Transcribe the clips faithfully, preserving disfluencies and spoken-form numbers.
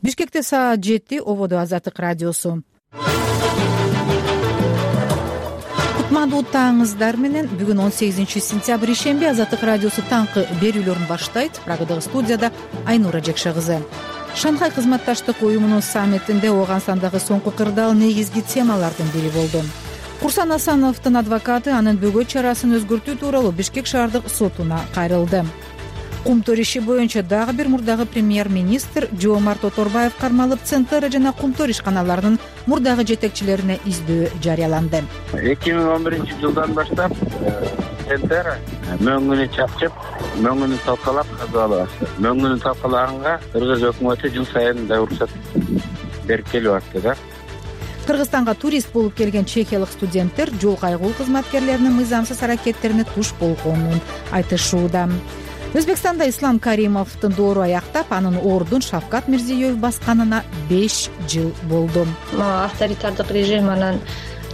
Бишкекте саат жети. Ободо Азаттык радиосу. Кутмандуу таңыңыздар менен. Бүгүн он сегизинчи сентябрь ишемби. Азаттык радиосу таңкы берүүлөрүн баштайт. Прагадагы студияда Айнура Жекше кызы. Шанхай кызматташтык уюмунун саммитинде Ооганстандагы соңку кырдаал негизги темалардын бири болду. Курсан Асановдун адвокаты анын бөгөт чарасын өзгөртүү тууралуу Бишкек шаардык сотуна кайрылды. Кумтөр иши боюнча дагы бир мурдагы премьер-министр Жоомарт Оторбаев кармалып, Центера жана Кумтөр ишканаларынын мурдагы жетекчилерине издөө жарыяланды. эки миң он биринчи жылдан баштап Центера мөңгүнү чапчып, мөңгүнү талкалап казалып атты. Мөңгүнү талкалаганга Кыргыз өкмөтү жыл сайын да уруксат берип келип атты да. Кыргызстанга турист болуп келген чехиялык студенттер жол кайгуу кызматкерлеринин мыйзамсыз аракеттерине туш болгонун айтышууда. Өзбекстанда Ислам Каримовдун доору аяктап, анын ордун Шавкат Мирзиёев басканына беш жыл болду. Авторитардык режим анан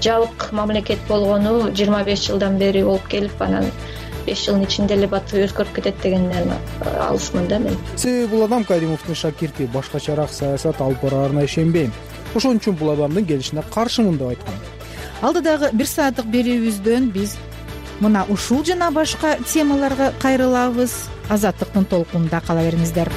жабык мамлекет болгону жыйырма беш жылдан бери болуп келип, анан беш жылдын ичинде эле баты өзгөрүп кетет дегенден алысмын да мен. Себеби бул адам Каримовдун шакирти, башкачараак саясат алып бараарына ишенбейм. Ошон үчүн бул адамдын келишине каршымын деп айткан. Алдыдагы бир сааттык берүүбүздөн биз мына ушул жана башка темаларга кайрылабыз. Азаттыктын толкунунда кала бериңиздер.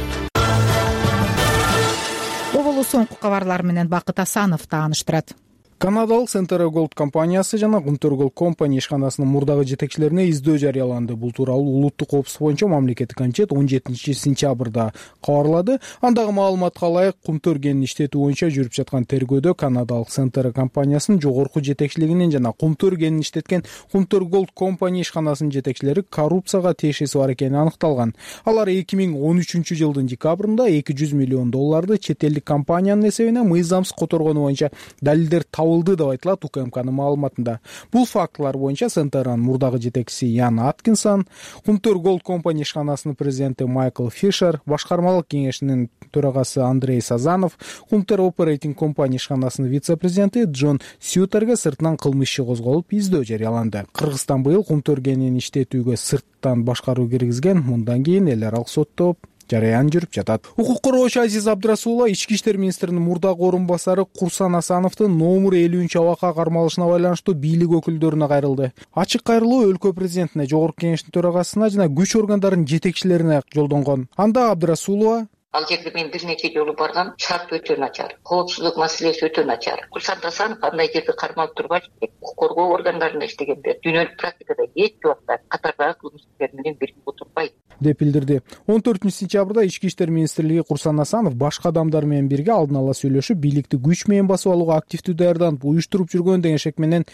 Оболу соңку кабарлар менен Бакыт Асанов тааныштырат. Канадалык Centera Gold компаниясы жана Кумтөр Gold Company ишканасынын мурдагы жетекчилерине издөө жарыяланды. Бул тууралуу улуттук коопсуздук боюнча мамлекеттик комитет он жетинчи сентябрда кабарлады. Андагы маалыматка ылайык, Кумтөр кенин иштетүү боюнча жүрүп жаткан тергөөдө Канадалык Centera компаниясынын жогорку жетекчилигинин жана Кумтөр кенин иштеткен Кумтөр Gold Company ишканасынын жетекчилери коррупцияга тиешеси бар экени аныкталган. Алар эки миң он үчүнчү жылдын декабрында эки жүз миллион долларды чет элдик компаниянын эсебине мыйзамсыз которгону боюнча далилдер табылды деп айтылат У К М Кнын маалыматында. Бул фактылар боюнча Центеранын мурдагы жетекчиси Ян Аткинсон, Кумтөр Gold Company ишканасынын президенти Майкл Фишер, башкармалык кеңешинин төрагасы Андрей Сазанов, Кумтөр Operating Company ишканасынын вице-президенти Джон Сьютерге сыртынан кылмыш иши козголуп, издөө жарыяланды. Кыргызстан быйыл Кумтөр кенин иштетүүгө сырттан башкаруу киргизген. Мындан кийин эл аралык сотто жараян жүрүп жатат. Укук коргоочу Азиз Абдрасулова Ички иштер министринин мурдагы орун басары Курсан Асановдун номер элүүнчү абакка кармалышына байланыштуу бийлик өкүлдөрүнө кайрылды. Ачык кайрылуу өлкө президентине, жогорку кеңештин төрагасына жана күч органдарынын жетекчилерине жолдонгон. Анда Абдрасулова: Ал жерге мен бир нече жолу баргам, шарт өтө начар, коопсуздук маселеси өтө начар. Курсан Асанов андай жерде кармалып турбаш, укук коргоо органдарында иштегенде, дүйнөлүк практикада эч убакта катардагы кылмыскерлер менен бирге отурбайт деп билдирди. он төртүнчү сентябрда Ички иштер министрлиги Курсан Асанов башка адамдар менен бирге алдын ала сүйлөшүп, бийликти күч менен басып алууга активдүү даярданып, уюштуруп жүргөн деген шек менен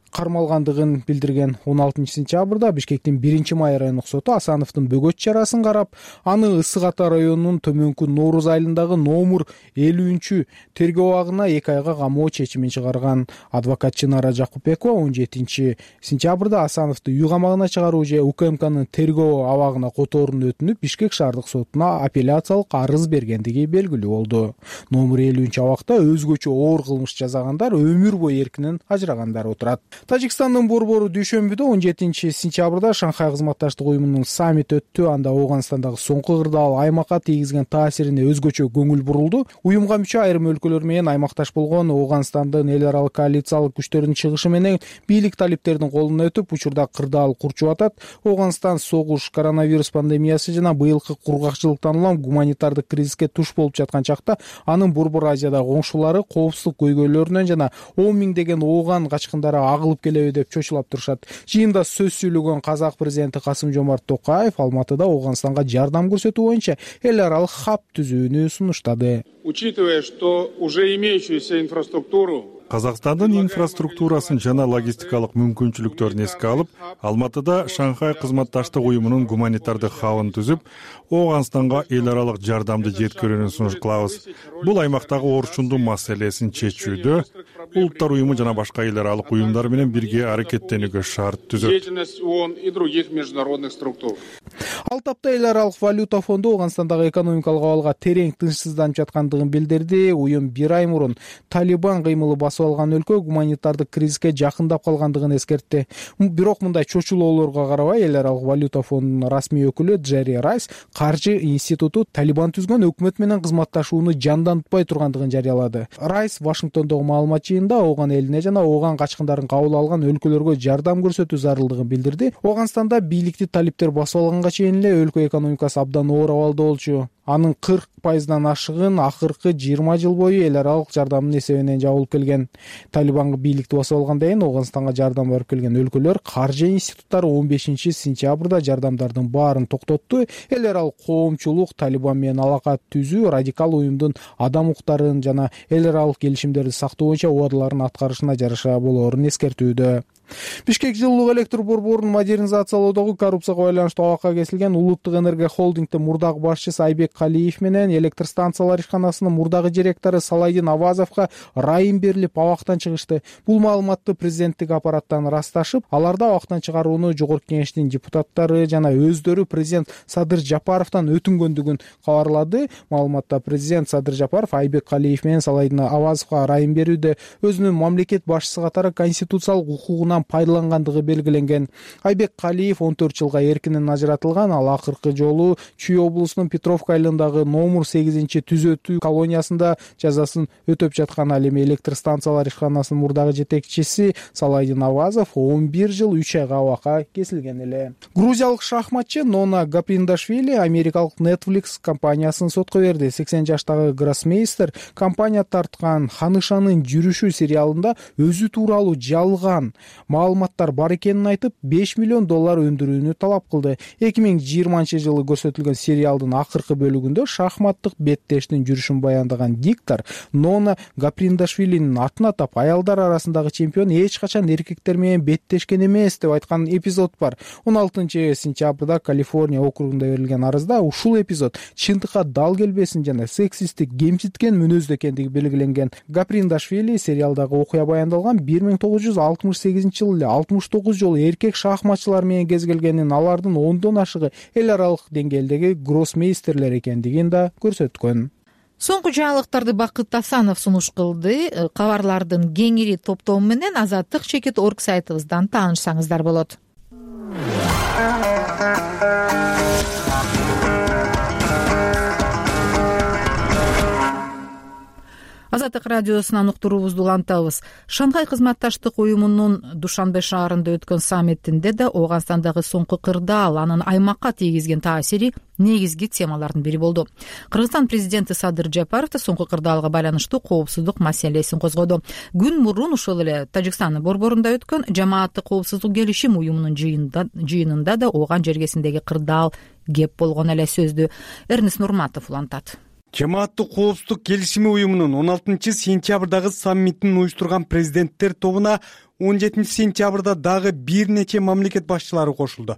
кармалгандыгын билдирген. он алтынчы сентябрда Бишкектин биринчи май райондук соту Асановдун бөгөт чарасын карап, аны Ысык Ата районунун Төмөнкү Нооруз айылындагы номер элүүнчү тергөө абагына эки айга камоо чечимин чыгарган. Адвокат Чынара Жакупбекова он жетинчи сентябрда Асановду үй камагына чыгаруу же У К М Кнын тергөө абагына которууну өтүнүп, Бишкек шаардык сотуна апелляциялык арыз бергендиги белгилүү болду. Номер элүүнчү абакта өзгөчө оор кылмыш жасагандар өмүр бою эркинен ажырагандар отурат. Тажикстандын борбору дүйшөмбүдө он жетинчи сентябрда Шанхай кызматташтык уюмунун саммити өттү. Анда Ооганстандагы соңку кырдаал аймакка тийгизген таасирине өзгөчө көңүл бурулду. Уюмга мүчө айрым өлкөлөр менен аймакташ болгон Ооганстандын эл аралык коалициялык күчтөрүнүн чыгышы менен бийлик талиптердин колуна өтүп, учурда кырдаал курчуп атат. Ооганстан согуш, коронавирус пандемиясы жана быйылкы кургакчылыктан улам гуманитардык кризиске туш болуп жаткан чакта, анын Борбор Азиядагы коңшулары коопсуздук көйгөйлөрүнөн жана он миңдеген ооган качкындары агылып келеби деп чочулап турушат. Жыйында сөз сүйлөгөн казак президенти Касым Жомарт Токаев Алматыда Ооганстанга жардам көрсөтүү боюнча эл аралык хаб түзүүнү сунуштады. Учитывая, что уже имеющуюся инфраструктуру Казакстандын инфраструктурасын жана логистикалык мүмкүнчүлүктөрүн эске алып, Алматыда Шанхай кызматташтык уюмунун гуманитардык хабын түзүп, Ооганстанга эл аралык жардамды жеткирүүнү сунуш кылабыз. Бул аймактагы орчундуу маселесин чечүүдө улуттар уюму жана башка эл аралык уюмдар менен бирге аракеттенүүгө шарт түзөт. Деятельность ООН и других международных структур. Ал тапта эл аралык валюта фонду Ооганстандагы экономикалык абалга терең тынчсызданып жаткандыгын билдирди. Уюм бир ай мурун Талибан кыймылы басып алган өлкө гуманитардык кризиске жакындап калгандыгын эскертти. Бирок мындай чочулоолорго карабай эл аралык валюта фондунун расмий өкүлү Джерри Райс каржы институту Талибан түзгөн өкмөт менен кызматташууну жандантпай тургандыгын жарыялады. Райс Вашингтондогу маалымат жыйынында Ооган элине жана Ооган качкындарын кабыл алган өлкөлөргө жардам көрсөтүү зарылдыгын билдирди. Ооганстанда бийликти талиптер басып алганга чейин эле өлкө экономикасы абдан оор абалда болчу. Анын кырк пайыздан ашыгын акыркы жыйырма жыл бою эл аралык жардамдын эсебинен жабылып келген. Талибан бийликти басып алгандан кийин Ооганстанга жардам барып келген өлкөлөр каржы институттары он бешинчи сентябрда жардамдардын баарын токтотту. Эл аралык коомчулук Талибан менен алака түзүү радикал уюмдун адам укуктарын жана эл аралык келишимдерди сактоо боюнча убадаларын аткарышына жараша болоорун эскертүүдө. Бишкек жылуулук электр борборун модернизациялоодогу коррупцияга байланыштуу абакка кесилген Улуттук энергия холдингдин мурдагы башчысы Айбек Калиев менен электр станциялар ишканасынын мурдагы директору Салайдин Авазовго райым берилип абактан чыгышты. Бул маалыматты президенттик аппараттан ырасташып, аларда абактан чыгарууну жогорку кеңештин депутаттары жана өздөрү президент Садыр Жапаровдон өтүнгөндүгүн кабарлады. Маалыматта президент Садыр Жапаров Айбек Калиев менен Салайдин Авазовго райым берүүдө өзүнүн мамлекет башчысы катары конституциялык укугуна пайдалангандыгы белгиленген. Айбек Калиев он төрт жылга эркинен ажыратылган. Ал акыркы жолу Чүй облусунун Петровка айылындагы номер сегизинчи түзөтүү колониясында жазасын өтөп жаткан. Ал эми электр станциялар ишканасынын мурдагы жетекчиси Салайдин Авазов он бир жыл үч айга абакка кесилген эле. Грузиялык шахматчы Нона Гаприндашвили америкалык Netflix компаниясын сотко берди. сексен жаштагы гроссмейстер компания тарткан Ханышанын жүрүшү сериалында өзү тууралуу жалган маалыматтар бар экенин айтып беш миллион доллар өндүрүүнү талап кылды. эки миң жыйырманчы жылы көрсөтүлгөн сериалдын акыркы бөлүгүндө шахматтык беттештин жүрүшүн баяндаган диктор Нона Гаприндашвилинин атын атап, аялдар арасындагы чемпион эч качан эркектер менен беттешкен эмес деп айткан эпизод бар. он алтынчы сентябрда Калифорния округунда берилген арызда ушул эпизод чындыкка дал келбесин жана сексисттик кемситкен мүнөздө экендиги белгиленген. Гаприндашвили сериалдагы окуя баяндалган бир миң тогуз жүз алтымыш сегизинчи жылы эле алтымыш тогуз жолу эркек шахматчылар менен кезгелгенин, алардын ондон ашыгы эл аралык деңгээлдеги гроссмейстерлер экендигин да көрсөткөн. Соңку жаңылыктарды Бакыт Асанов сунуш кылды. Кабарлардын кеңири топтому менен азаттык чекит точка орг сайтыбыздан таанышсаңыздар болот. Азаттык радиосунан уктуруубузду улантабыз. Шанхай кызматташтык уюмунун Душанбе шаарында өткөн саммитинде да Ооганстандагы соңку кырдаал, анын аймакка тийгизген таасири негизги темалардын бири болду. Кыргызстан президенти Садыр Жапаров да соңку кырдаалга байланыштуу коопсуздук маселесин козгоду. Күн мурун ушул эле Тажикстандын борборунда өткөн Жамааттык коопсуздук келишим уюмунун жыйынында да Ооган жергесиндеги кырдаал кеп болгон эле сөздү Эрнест Нурматов улантат. Жамааттык коопсуздук келишими уюмунун он алтынчы сентябрдагы саммитин уюштурган президенттер тобуна он жетинчи сентябрда дагы бир нече мамлекет башчылары кошулду.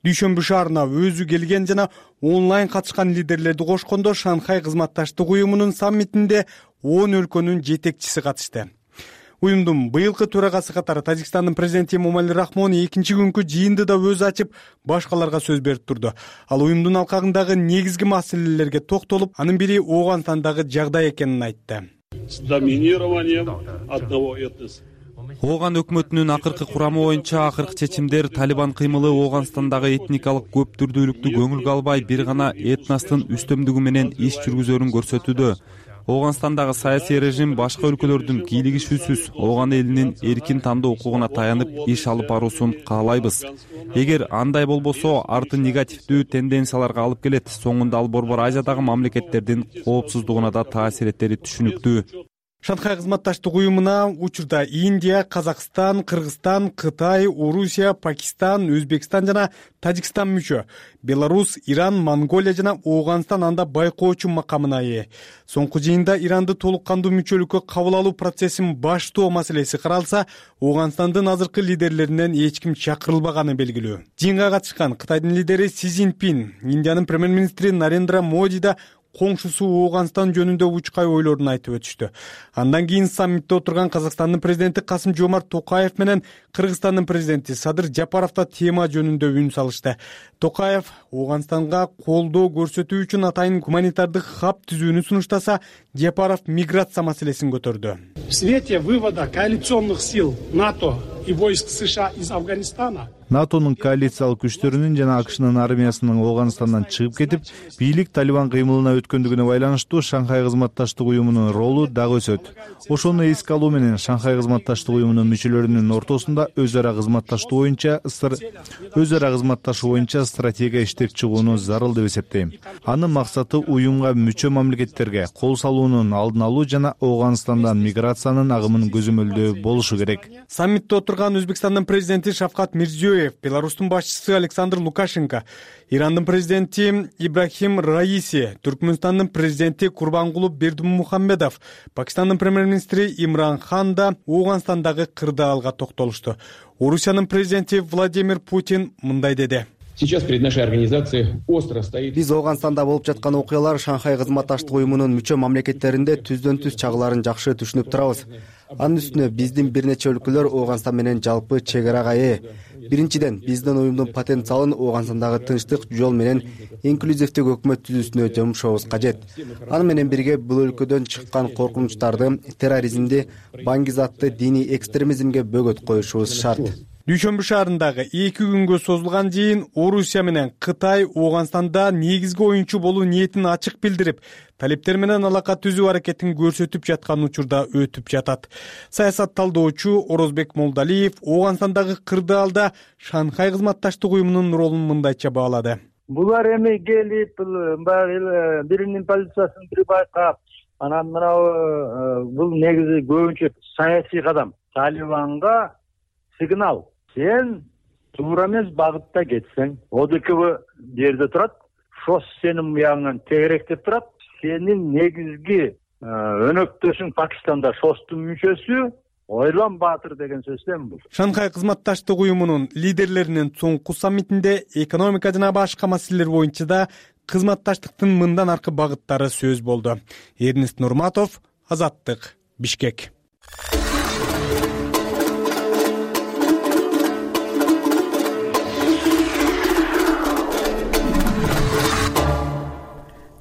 Дүйшөмбү шаарына өзү келген жана онлайн катышкан лидерлерди кошкондо Шанхай кызматташтык уюмунун саммитинде он өлкөнүн жетекчиси катышты. Уюмдун быйылкы төрагасы катары Тажикстандын президенти Эмомали Рахмон экинчи күнкү жыйынды да өзү ачып, башкаларга сөз берип турду. Ал уюмдун алкагындагы негизги маселелерге токтолуп, анын бири Ооганстандагы жагдай экенин айтты. С доминированием одного этноса. Ооган өкмөтүнүн акыркы курамы боюнча акыркы чечимдер Талибан кыймылы Ооганстандагы этникалык көп түрдүүлүктү көңүлгө албай бир гана этностун үстөмдүгү менен иш жүргүзөрүн көрсөтүүдө. Ооганстандагы саясий режим башка өлкөлөрдүн кийлигишүүсүз Ооган элинин эркин тандоо укугуна таянып иш алып баруусун каалайбыз. Эгер андай болбосо, арты негативдүү тенденцияларга алып келет. Соңунда ал Борбор Азиядагы мамлекеттердин коопсуздугуна да таасир этери түшүнүктүү. Шанхай кызматташтык уюмуна учурда Индия, Казакстан, Кыргызстан, Кытай, Орусия, Пакистан, Өзбекстан жана Тажикстан мүчө. Беларус, Иран, Монголия жана Ооганстан анда байкоочу макамына ээ. Соңку жыйында Иранды толук кандуу мүчөлүккө кабыл алуу процессин баштоо маселеси каралса, Ооганстандын азыркы лидерлеринен эч ким чакырылбаганы белгилүү. Жыйынга катышкан Кытайдын лидери Си Цзиньпин, Индиянын премьер-министри Нарендра Моди да коңшусу Ооганстан жөнүндө учкай ойлорун айтып өтүштү. Андан кийин саммитте отурган Казакстандын президенти Касым-Жомарт Токаев менен Кыргызстандын президенти Садыр Жапаров да тема жөнүндө үн салышты. Токаев Ооганстанга колдоо көрсөтүү үчүн атайын гуманитардык хаб түзүүнү сунуштаса, Жапаров миграция маселесин көтөрдү. В свете вывода коалиционных сил НАТО и войск США из Афганистана НАТОнун коалициялык күчтөрүнүн жана АКШнын армиясынын Ооганстандан чыгып кетип, бийлик Талибан кыймылына өткөндүгүнө байланыштуу Шанхай кызматташтык уюмунун ролу дагы өсөт. Ошону эске алуу менен Шанхай кызматташтык уюмунун мүчөлөрүнүн ортосунда өз ара кызматташтуу боюнча өз ара кызматташуу боюнча стратегия иштеп чыгууну зарыл деп эсептейм. Анын максаты уюмга мүчө мамлекеттерге кол салуунун алдын алуу жана Ооганстандан миграциянын агымын көзөмөлдөө болушу керек. Саммитте отурган Өзбекстандын президенти Шавкат Мирзиёев, Беларустун башчысы Александр Лукашенко, Ирандын президенти Ибрахим Раиси, Түркмөнстандын президенти Курбангулы Бердимухамедов, Пакистандын премьер-министри Имран Хан да Ооганстандагы кырдаалга токтолушту. Орусиянын президенти Владимир Путин мындай деди. Сейчас перед нашей организацией остро стоит. Биз Ооганстанда болуп жаткан окуялар Шанхай кызматташтык уюмунун мүчө мамлекеттеринде түздөн-түз чагыларын жакшы түшүнүп турабыз. Анын үстүнө биздин бир нече өлкөлөр Ооганстан менен жалпы чек арага ээ. Биринчиден, биздин уюмдун потенциалын Ооганстандагы тынчтык жол менен инклюзивдүү өкмөт түзүүсүнө жумшабыз кажет. Аны менен бирге бул өлкөдөн чыккан коркунучтарды, терроризмди, баңгизатты, диний экстремизмге бөгөт коюшубуз шарт. Дүйшөмбү шаарындагы эки күнгө созулган жыйын Орусия менен Кытай Ооганстанда негизги оюнчу болуу ниетин ачык билдирип, талептер менен алака түзүү аракетин көрсөтүп жаткан учурда өтүп жатат. Саясат талдоочу Орозбек Молдалиев Ооганстандагы кырдаалда Шанхай кызматташтык уюмунун ролун мындайча баалады. Булар эми келип, баягы биринин позициясын бири байкап, анан мына бул негизи көбүнчө саясий кадам. Талибанга сигнал. Сен туура эмес багытта кетсең, ОДКБ жерде турат, ШОС сенин буягыңан тегеректеп турат. Сенин негизги өнөктөшүң Пакистанда ШОСтун мүчөсү, ойлон баатыр деген сөздөн бул. Шанхай кызматташтык уюмунун лидерлеринин соңку саммитинде экономика жана башка маселелер боюнча да кызматташтыктын мындан аркы багыттары сөз болду. Эрнест Нурматов, Азаттык, Бишкек.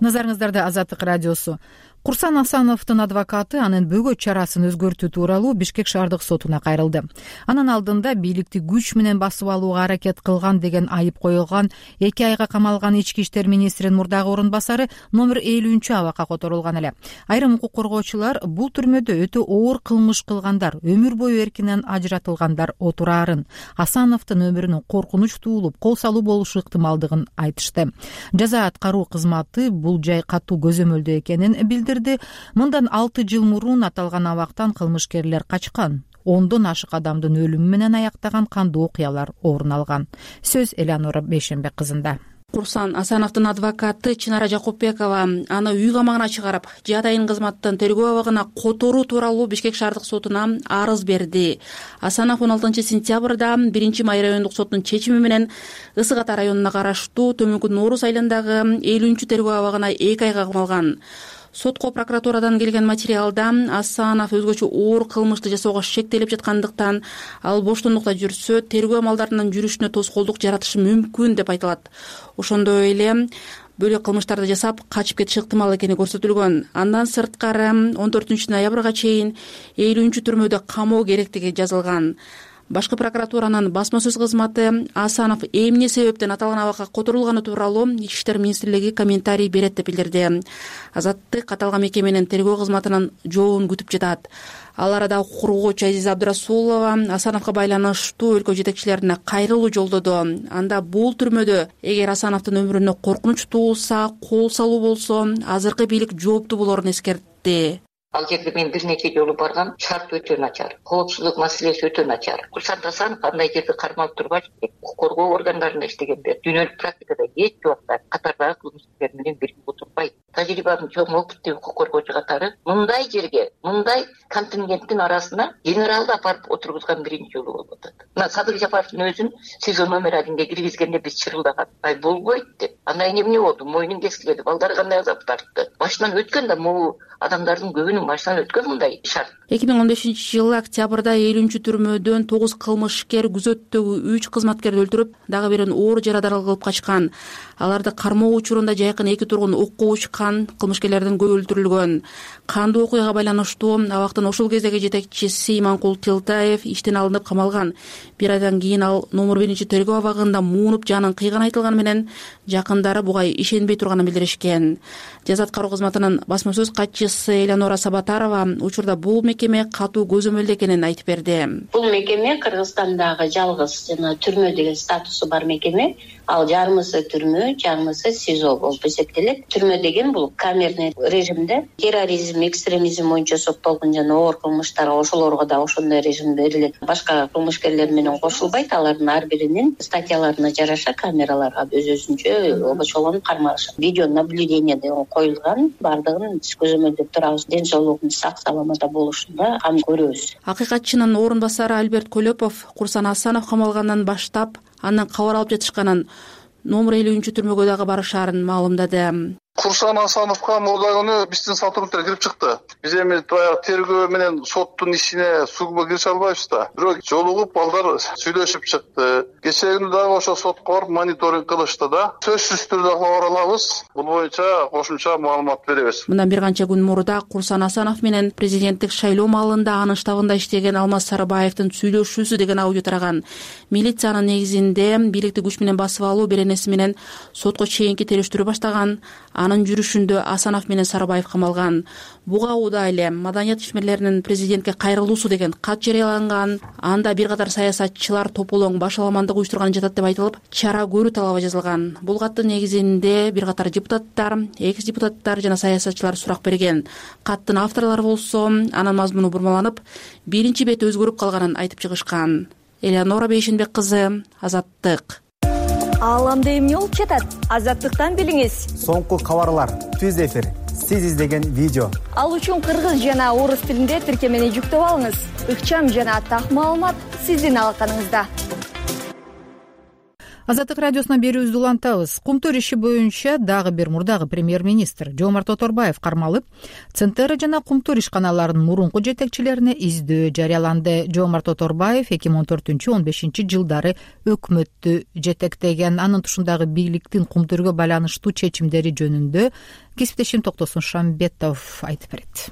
Назарыңыздарда Азаттык радиосу. Курсан Асановдун адвокаты анын бөгөт чарасын өзгөртүү тууралуу Бишкек шаардык сотуна кайрылды. Анын алдында бийликти күч менен басып алууга аракет кылган деген айып коюлган эки айга камалган ички иштер министринин мурдагы орун басары номер элүүнчү абакка которулган эле. Айрым укук коргоочулар бул түрмөдө өтө оор кылмыш кылгандар, өмүр бою эркинен ажыратылгандар отураарын, Асановдун өмүрүнө коркунуч туулуп, кол салуу болушу ыктымалдыгын айтышты. Жаза аткаруу кызматы бул жай катуу көзөмөлдөө экенин билдирди. Мындан алты жыл мурун аталган абактан кылмышкерлер качкан. Ондон ашык адамдын өлүмү менен аяктаган кандуу окуялар орун алган. Сөз Элеонора Бейшенбек кызында. Курсан Асановдун адвокаты Чынара Жакупбекова аны үй камагына чыгарып, жадайын кызматтын тергөө абагына которуу тууралуу Бишкек шаардык сотуна арыз берди. Асанов он алтынчы сентябрда биринчи май райондук соттун чечими менен Ысык Ата районуна караштуу Төмөнкү Нооруз айылындагы элүүнчү тергөө абагына эки айга камалган. Сотко прокуратурадан келген материалда Асанов өзгөчө оор кылмышты жасоого шектелип жаткандыктан ал боштондукта жүрсө, тергөө амалдарынын жүрүшүнө тоскоолдук жаратышы мүмкүн деп айтылат. Ошондой эле бөлөк кылмыштарды жасап качып кетиши ыктымал экени көрсөтүлгөн. Андан сырткары он төртүнчү ноябрга чейин элүүнчү түрмөдө камоо керектиги жазылган. Башкы прокуратуранын басма сөз кызматы Асанов эмне себептен аталган абакка которулганы тууралуу Ички иштер министрлиги комментарий берет деп билдирди. Азаттык аталган мекеменин тергөө кызматынын жообун күтүп жатат. Ал арада укук коргоочу Азиза Абдрасулова Асановго байланыштуу өлкө жетекчилерине кайрылуу жолдоду. Анда бул түрмөдө эгер Асановдун өмүрүнө коркунуч туулса, кол салуу болсо, азыркы бийлик жооптуу болорун эскертти. Ал жерге мен бир нече жолу баргам, шарт өтө начар, коопсуздук маселеси өтө начар. Курсан Асанов андай жерде кармалып тургач, укук коргоо органдарында иштегенде дүйнөлүк практикада эч убакта катардагы кылмыскерлер менен бирге отурбайт. Тажрыйбанын чоң опыттуу укук коргоочу катары мындай жерге, мындай контингенттин арасына генералды апарып отургузган биринчи жолу болуп атат. Мына Садыр Жапаровдун өзүн СИЗО номер одинге киргизгенде биз чырылдаган. Ай болбойт деп. Анда эмне болду? Мойнун кесилди. Балдары кандай азап тартты? Башынан өткөн да могу адамдардын көбүнүн башынан өткөн мындай шарт. эки миң он бешинчи жылы октябрда элүүнчү түрмөдөн тогуз кылмышкер күзөттөгү үч кызматкерди өлтүрүп, дагы бирин оор жарадар кылып качкан. Аларды кармоо учурунда жайкын эки тургун окко учкан, кылмышкерлердин көбү өлтүрүлгөн. Кандуу окуяга байланыштуу абактын ошол кездеги жетекчиси Иманкул Тилтаев иштен алынып камалган. Бир айдан кийин ал номер биринчи тергөө абагында муунуп жанын кыйганы айтылганы менен жакындары буга ишенбей турганын билдиришкен. Жаза аткаруу кызматынын басма сөз катчысы Элеонора Сабатарова учурда бул мекеме катуу көзөмөлдө экенин айтып берди. Бул мекеме Кыргызстандагы жалгыз жана түрмө деген статусу бар мекеме. Ал жарымысы түрмө, жарымысы СИЗО болуп эсептелет. Түрмө деген бул камерный режимде терроризм, экстремизм боюнча соттолгон жана оор кылмыштар, ошолорго да ошондой режим берилет. Башка кылмышкерлер менен кошулбайт. Алардын ар биринин статьяларына жараша камераларга өз-өзүнчө обочолонуп кармалышат. Видео наблюдение деген коюлган, бардыгын биз көзөмөлдөп турабыз. Ден соолугунун сак саламатта болушунда кам көрөбүз. Акыйкатчынын орун басары Альберт Көлөпов Курсан Асанов камалгандан баштап андан кабар алып жатышканын, номер элүүнчү түрмөгө дагы барышаарын маалымдады. Курсан Асановго мурда күнү биздин сотрудниктер кирип чыкты. Биз эми баягы тергөө менен соттун ишине сугуба кирише албайбыз да. Бирок жолугуп балдар сүйлөшүп чыкты. Кечээ күнү дагы ошо сотко барып мониторинг кылышты да. Сөзсүз түрдө кабар алабыз. Бул боюнча кошумча маалымат беребиз. Мындан бир канча күн мурда Курсан Асанов менен президенттик шайлоо маалында анын штабында иштеген Алмаз Сарыбаевдин сүйлөшүүсү деген аудио тараган. Милициянын негизинде бийликти күч менен басып алуу беренеси менен сотко чейинки териштирүү баштаган. Анын жүрүшүндө Асанов менен Сарыбаев камалган. Буга учурда эле маданият ишмерлеринин президентке кайрылуусу деген кат жарыяланган. Анда бир катар саясатчылар тополоң баш аламандык уюштурган жатат деп айтылып, чара көрүү талабы жазылган. Бул каттын негизинде бир катар депутаттар, экс депутаттар жана саясатчылар сурак берген. Каттын авторлору болсо анын мазмуну бурмаланып, биринчи бети өзгөрүп калганын айтып чыгышкан. Элеонора Бейшенбек кызы, Азаттык. Ааламда эмне болуп жатат? Азаттыктан билиңиз. Соңку кабарлар, түз эфир, сиз издеген видео. Ал үчүн кыргыз жана орус тилинде тиркемени жүктөп алыңыз. Ыкчам жана так маалымат сиздин алаканыңызда. Азаттык радиосуна берүүбүздү улантабыз. Кумтөр иши боюнча дагы бир мурдагы премьер-министр Жомарт Оторбаев кармалып, Центера жана Кумтөр ишканаларынын мурунку жетекчилерине издөө жарыяланды. Жомарт Оторбаев эки миң он төртүнчү он бешинчи жылдары өкмөттү жетектеген. Анын тушундагы бийликтин Кумтөргө байланыштуу чечимдери жөнүндө кесиптешим Токтосун Шамбетов айтып берет.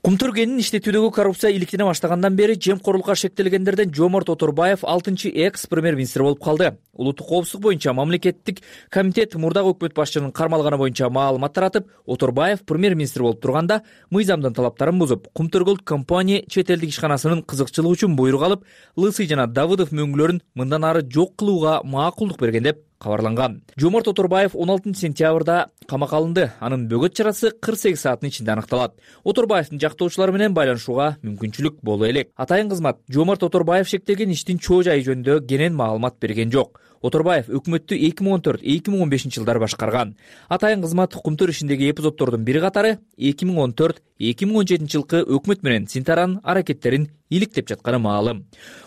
Кумтөргенин иштетүүдөгү коррупция иликтене баштагандан бери жемкорлукка шектелгендерден Жомарт Оторбаев алтынчы экс премьер-министр болуп калды. Улуттук коопсуздук боюнча мамлекеттик комитет мурдагы өкмөт башчынын кармалганы боюнча маалымат таратып, Оторбаев премьер-министр болуп турганда мыйзамдын талаптарын бузуп, Кумтөр компания чет элдик ишканасынын кызыкчылыгы үчүн буйрук алып, Лысый жана Давыдов мөңгүлөрүн мындан ары жок кылууга макулдук берген деп кабарланган. Жомарт Оторбаев он алтынчы сентябрда камакка алынды. Анын бөгөт чарасы кырк сегиз сааттын ичинде аныкталат. Оторбаевдин жактоочулары менен байланышууга мүмкүнчүлүк боло элек. Атайын кызмат Жомарт Оторбаев шектелген иштин чоо жайы жөнүндө кенен маалымат берген жок. Оторбаев өкмөттү эки миң он төрт эки миң он бешинчи жылдары башкарган. Атайын кызмат Кумтөр ишиндеги эпизоддордун бири катары эки миң он төрт эки миң он жетинчи жылкы өкмөт менен Синтаранын аракеттерин иликтеп жатканы маалым.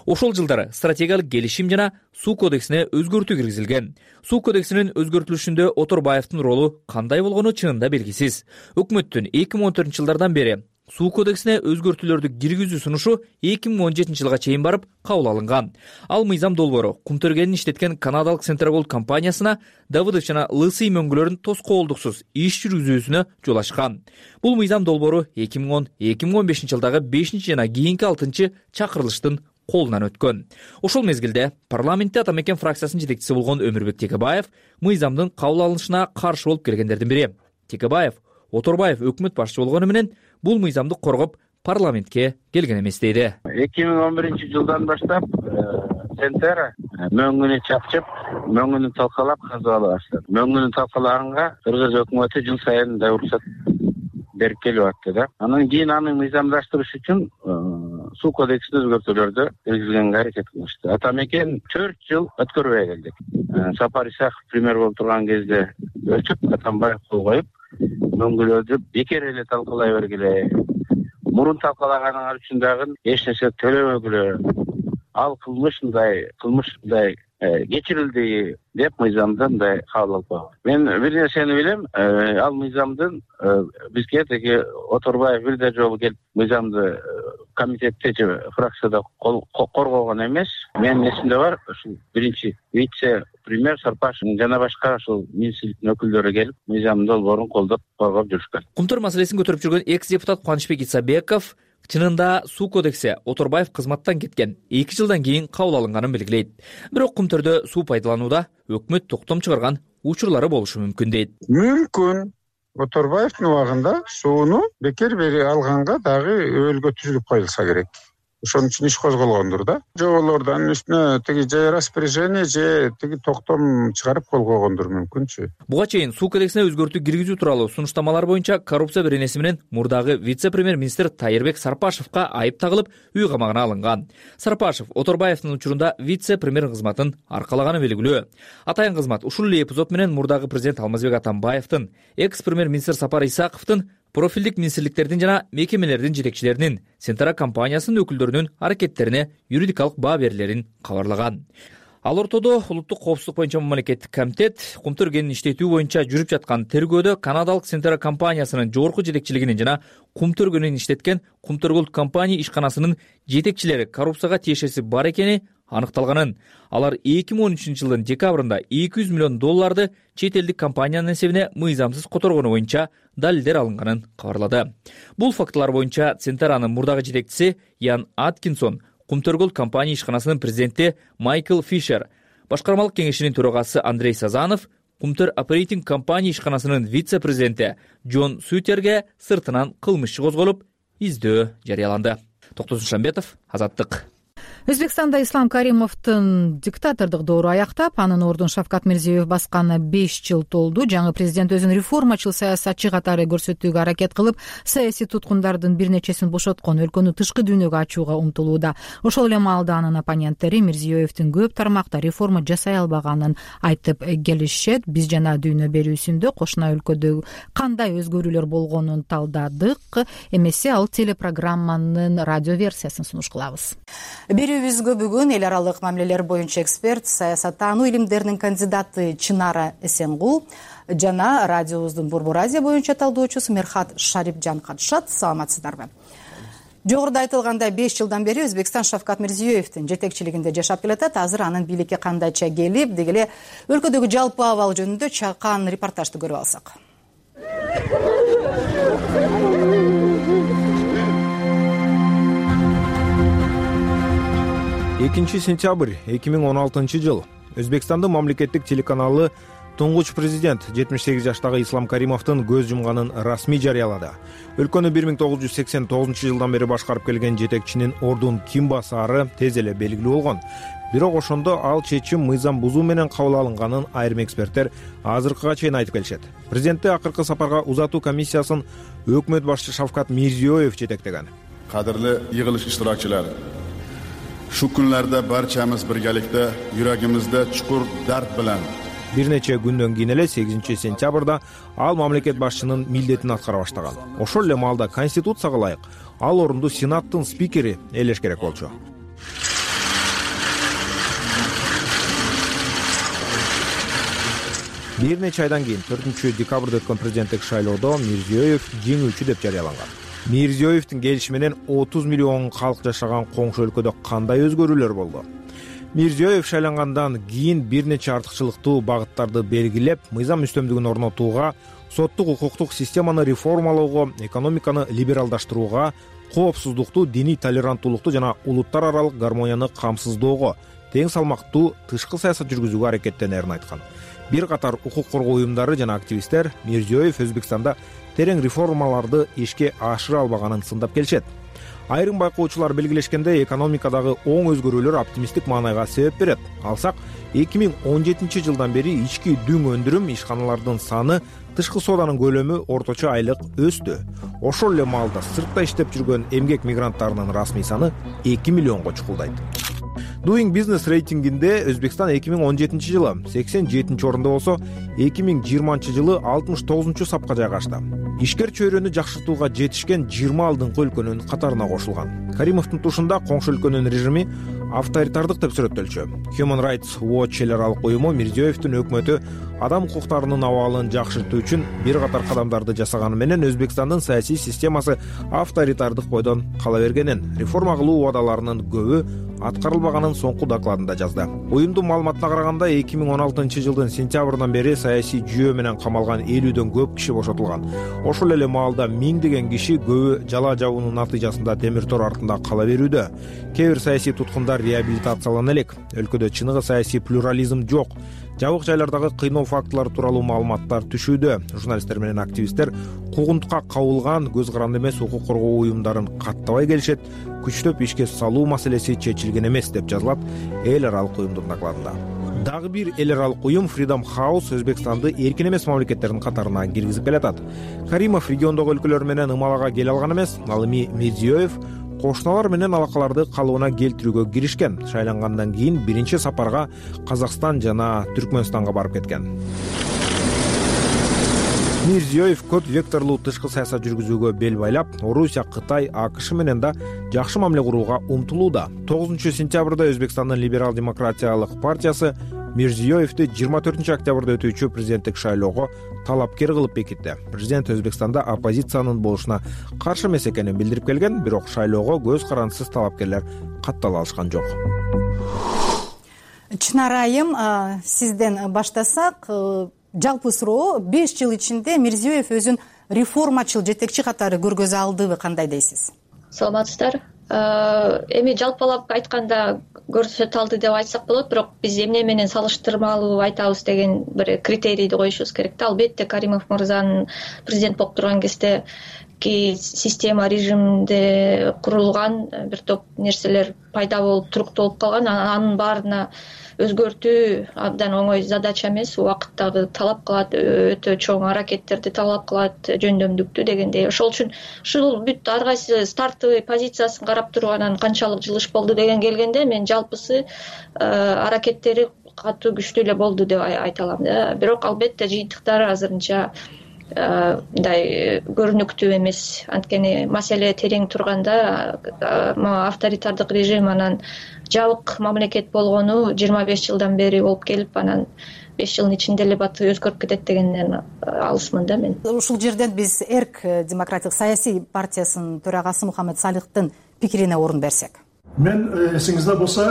Ошол жылдары стратегиялык келишим жана суу кодексине өзгөртүү киргизилген. Суу кодексинин өзгөртүлүшүндө Оторбаевдин ролу кандай болгону чынында белгисиз. Өкмөттүн эки миң он төртүнчү жылдардан бери суу кодексине өзгөртүүлөрдү киргизүү сунушу эки миң он жетинчи жылга чейин барып кабыл алынган. Ал мыйзам долбоору Кумтөргенин иштеткен канадалык Центрабол компаниясына Давыдов жана Лысый мөңгүлөрүн тоскоолдуксуз иш жүргүзүүсүнө жол ачкан. Бул мыйзам долбоору эки миң он эки миң он бешинчи жылдагы бешинчи жана кийинки алтынчы чакырылыштын колунан өткөн. Ошол мезгилде парламентте ата мекен фракциясынын жетекчиси болгон Өмүрбек Текебаев мыйзамдын кабыл алынышына каршы болуп келгендердин бири. Текебаев Оторбаев өкмөт башчы болгону менен бул мыйзамды коргоп парламентке келген эмес дейди. эки миң он биринчи жылдан баштап Центера мөңгүнү чапчып, мөңгүнү талкалап казып ала баштады. Мөңгүнү талкалаганга Кыргыз өкмөтү жыл сайын да уруксат берип келип атты да. Анан кийин аны мыйзамдаштырыш үчүн суу кодексине өзгөртүүлөрдү киргизгенге аракет кылышты. Ата мекен төрт жыл өткөрбөй келдик. Сапар Исаков премьер болуп турган кезде өлчүп, Атамбаев кол коюп, мөңгүлөөдү бекер эле талкалай бергиле. Мурун талкалаганыңар үчүн дагы эч нерсе төлөбөгүлө. Ал кылмыш мындай, кылмыш мындай кечирилди деп мыйзамда мындай кабыл алып койгон. Мен бир нерсени билем, ал мыйзамдын бизге теги Оторбаев бирде жолу келип мыйзамды комитетте же фракцияда коргогон эмес. Менин эсимде бар, ушул биринчи вице премьер Сарпашев жана башка ушул министрликтин өкүлдөрү келип мыйзамдын долбоорун колдоп коргоп жүрүшкөн. Кумтур маселесин көтөрүп жүргөн экс депутат Кубанычбек Исабеков чынында суу кодекси Оторбаев кызматтан кеткен эки жылдан кийин кабыл алынганын белгилейт. Бирок Кумтөрдө суу пайдаланууда өкмөт токтом чыгарган учурлары болушу мүмкүн дейт. Мүмкүн Оторбаевдин убагында сууну бекер бери алганга дагы өөлгө түзүлүп коюлса керек. Ошон үчүн иш козголгондур да. Жоболорду анын үстүнө тиги же распоряжение же тиги токтом чыгарып кол койгондур мүмкүнчү. Буга чейин суу кодексине өзгөртүү киргизүү тууралуу сунуштамалар боюнча коррупция беренеси менен мурдагы вице-премьер-министр Тайырбек Сарпашевка айып тагылып, үй камагына алынган. Сарпашев Оторбаевдин учурунда вице-премьер кызматын аркалаганы белгилүү. Атайын кызмат ушул эле эпизод менен мурдагы президент Алмазбек Атамбаевдин, экс-премьер-министр Сапар Исаковдун, профилдик министрликтердин жана мекемелердин жетекчилеринин, Сентара компаниясынын өкүлдөрүнүн аракеттерине юридикалык баа берилерин кабарлаган. Ал ортодо улуттук коопсуздук боюнча мамлекеттик комитет Кумтөр кенин иштетүү боюнча жүрүп жаткан тергөөдө канадалык Сентара компаниясынын жогорку жетекчилигинин жана Кумтөр кенин иштеткен Кумтөр Голд компания ишканасынын жетекчилери коррупцияга тиешеси бар экени аныкталганын. Алар эки миң он үчүнчү жылдын декабрында эки жүз миллион долларды чет элдик компаниянын эсебине мыйзамсыз которгону боюнча далилдер алынганын кабарлады. Бул фактылар боюнча Сентаранын мурдагы жетекчиси Ян Аткинсон, Кумтөр Голд компания ишканасынын президенти Майкл Фишер, башкармалык кеңешинин төрагасы Андрей Сазанов, Кумтөр Оперейтинг компания ишканасынын вице-президенти Джон Сутерге сыртынан кылмыш козголуп, издөө жарыяланды. Токтосун Шамбетов, Азаттык. Өзбекстанда Ислам Каримовдун диктатордук доору аяктап, анын ордун Шавкат Мирзиёев басканына беш жыл толду. Жаңы президент өзүн реформачыл саясатчы катары көрсөтүүгө аракет кылып, саясий туткундардын бир нечесин бошоткон, өлкөнү тышкы дүйнөгө ачууга умтулууда. Ошол эле маалда анын оппоненттери Мирзиёевдин көп тармакта реформа жасай албаганын айтып келишет. Биз жана дүйнө берүүсүндө кошуна өлкөдө кандай өзгөрүүлөр болгонун талдадык. Эмесе ал телепрограмманын радио версиясын сунуш кылабыз. Берүүбүзгө бүгүн эл аралык мамилелер боюнча эксперт, саясаттануу илимдеринин кандидаты Чынара Эсенгул жана радиобуздун Борбор Азия боюнча талдоочусу Мерхат Шарипжан катышат. Саламатсыздарбы? Жогоруда айтылгандай, беш жылдан бери Өзбекстан Шавкат Мирзиёевдин жетекчилигинде жашап келатат. Азыр анын бийликке кандайча келип, деги эле өлкөдөгү жалпы абал жөнүндө чакан репортажды көрүп алсак. экинчи сентябрь эки миң он алтынчы жыл Өзбекстандын мамлекеттик телеканалы туңгуч президент жетимиш сегиз жаштагы Ислам Каримовдун көз жумганын расмий жарыялады. Өлкөнү бир миң тогуз жүз сексен тогузунчу жылдан бери башкарып келген жетекчинин ордун ким басаары тез эле белгилүү болгон. Бирок ошондо ал чечим мыйзам бузуу менен кабыл алынганын айрым эксперттер азыркыга чейин айтып келишет. Президентти акыркы сапарга узатуу комиссиясын өкмөт башчы Шавкат Мирзиёев жетектеген. Кадырлы йыгылыш иштиракчылары, шу күнлөрдө барчамыз биргаликте юрагимизде чукур дарт менен бир нече күндөн кийин эле сегизинчи сентябрда ал мамлекет башчынын милдетин аткара баштаган. Ошол эле маалда Конституцияга ылайык ал орунду Сенаттын спикери ээлеш керек болчу. Бир нече айдан кийин төртүнчү декабрда өткөн президенттик шайлоодо Мирзиёев жеңүүчү деп жарыяланган. Мирзиёевдин келиши менен отуз миллион калк жашаган коңшу өлкөдө кандай өзгөрүүлөр болду? Мирзиёев шайлангандан кийин бир нече артыкчылыктуу багыттарды белгилеп, мыйзам үстөмдүгүн орнотууга, соттук укуктук системаны реформалоого, экономиканы либералдаштырууга, коопсуздукту, диний толеранттуулукту жана улуттар аралык гармонияны камсыздоого, тең салмактуу тышкы саясат жүргүзүүгө аракеттенерин айткан. Бир катар укук коргоо уюмдары жана активисттер Мирзиёев Өзбекстанда терең реформаларды ишке ашыра албаганын сындап келишет. Айрым байкоочулар белгилешкендей, экономикадагы оң өзгөрүүлөр оптимисттик маанайга себеп берет. Алсак, эки миң он жетинчи жылдан бери ички дүң өндүрүм, ишканалардын саны, тышкы сооданын көлөмү орточо айлык өстү. Ошол эле маалда сыртта иштеп жүргөн эмгек мигранттарынын расмий саны эки миллионго чукулдайт. Doing Business рейтингинде Өзбекстан эки миң он жетинчи жылы сексен жетинчи орунда болсо, эки миң жыйырманчы жылы алтымыш тогузунчу сапка жайгашты. Ишкер чөйрөнү жакшыртууга жетишкен жыйырма алдыңкы өлкөнүн катарына кошулган. Каримовдун тушунда коңшу өлкөнүн режими авторитардык деп сүрөттөлчү. Human Rights Watch эл аралык уюму Мирзиёевдин өкмөтү адам укуктарынын абалын жакшыртуу үчүн бир катар кадамдарды жасаганы менен Өзбекстандын саясий системасы авторитардык бойдон кала бергенин, реформа кылуу убадаларынын көбү аткарылбаганын соңку докладында жазды. Уюмдун маалыматына караганда, эки миң он алтынчы жылдын сентябрынан бери саясий жүйө менен камалган элүүдөн көп киши бошотулган. Ошол эле маалда миңдеген киши, көбү жала жабуунун натыйжасында темир тор артында кала берүүдө. Кээ бир саясий туткундар реабилитациялана элек. Өлкөдө чыныгы саясий плюрализм жок. Жабык жайлардагы кыйноо фактылары тууралуу маалыматтар түшүүдө. Журналисттер менен активисттер куугунтукка кабылган көз каранды эмес укук коргоо уюмдарын каттабай келишет, күчтөп ишке салуу маселеси чечилген эмес деп жазылат эл аралык уюмдун докладында. Дагы бир эл аралык уюм Freedom House Өзбекстанды эркин эмес мамлекеттердин катарына киргизип келатат. Каримов региондогу өлкөлөр менен ымалага келе алган эмес, ал эми Мирзиёев кошуналар менен алакаларды калыбына келтирүүгө киришкен. Шайлангандан кийин биринчи сапарга Казакстан жана Түркмөнстанга барып кеткен. Мирзиёев көп векторлуу тышкы саясат жүргүзүүгө бел байлап, Орусия, Кытай, АКШ менен да жакшы мамиле курууга умтулууда. тогузунчу сентябрда Өзбекстандын либерал-демократиялык партиясы Мирзиёевди жыйырма төртүнчү октябрда өтүүчү президенттик шайлоого талапкер кылып бекитти. Президент Өзбекстанда оппозициянын болушуна каршы эмес экенин билдирип келген, бирок шайлоого көз карандысыз талапкерлер каттала алышкан жок. Чынара айым, сизден баштасак, жалпы суроо, беш жыл ичинде Мирзиёев өзүн реформачыл жетекчи катары көргөзө алдыбы, кандай дейсиз? Саламатсыздар. Эми жалпылап айтканда көрсөтө алды деп айтсак болот, бирок биз эмне менен салыштырмалуу айтабыз деген бир критерийди коюшубуз керек да. Албетте Каримов мырзанын президент болуп турган кезде система режимде курулган бир топ нерселер пайда болуп, туруктолуп калган, анын баарына өзгөртүү абдан оңой задача эмес, убакыттагы талап кылат, өтө чоң аракеттерди талап кылат, жөндөмдүктү дегендей. Ошол үчүн ушул бүт ар кайсы стартовый позициясын карап туруп анан канчалык жылыш болду деген келгенде, мен жалпысы аракеттери катуу күчтүү эле болду деп айта алам да. Бирок албетте жыйынтыктары азырынча мындай көрүнүктүү эмес. Анткени маселе терең турганда, авторитардык режим анан жабык мамлекет болгону жыйырма беш жылдан бери болуп келип, анан беш жылдын ичинде эле баты өзгөрүп кетет дегенден алысмын да мен. Ушул жерден биз Эрк демократик саясий партиясынын төрагасы Мухаммед Салихтын пикирине орун берсек. Мен эсиңизде болсо,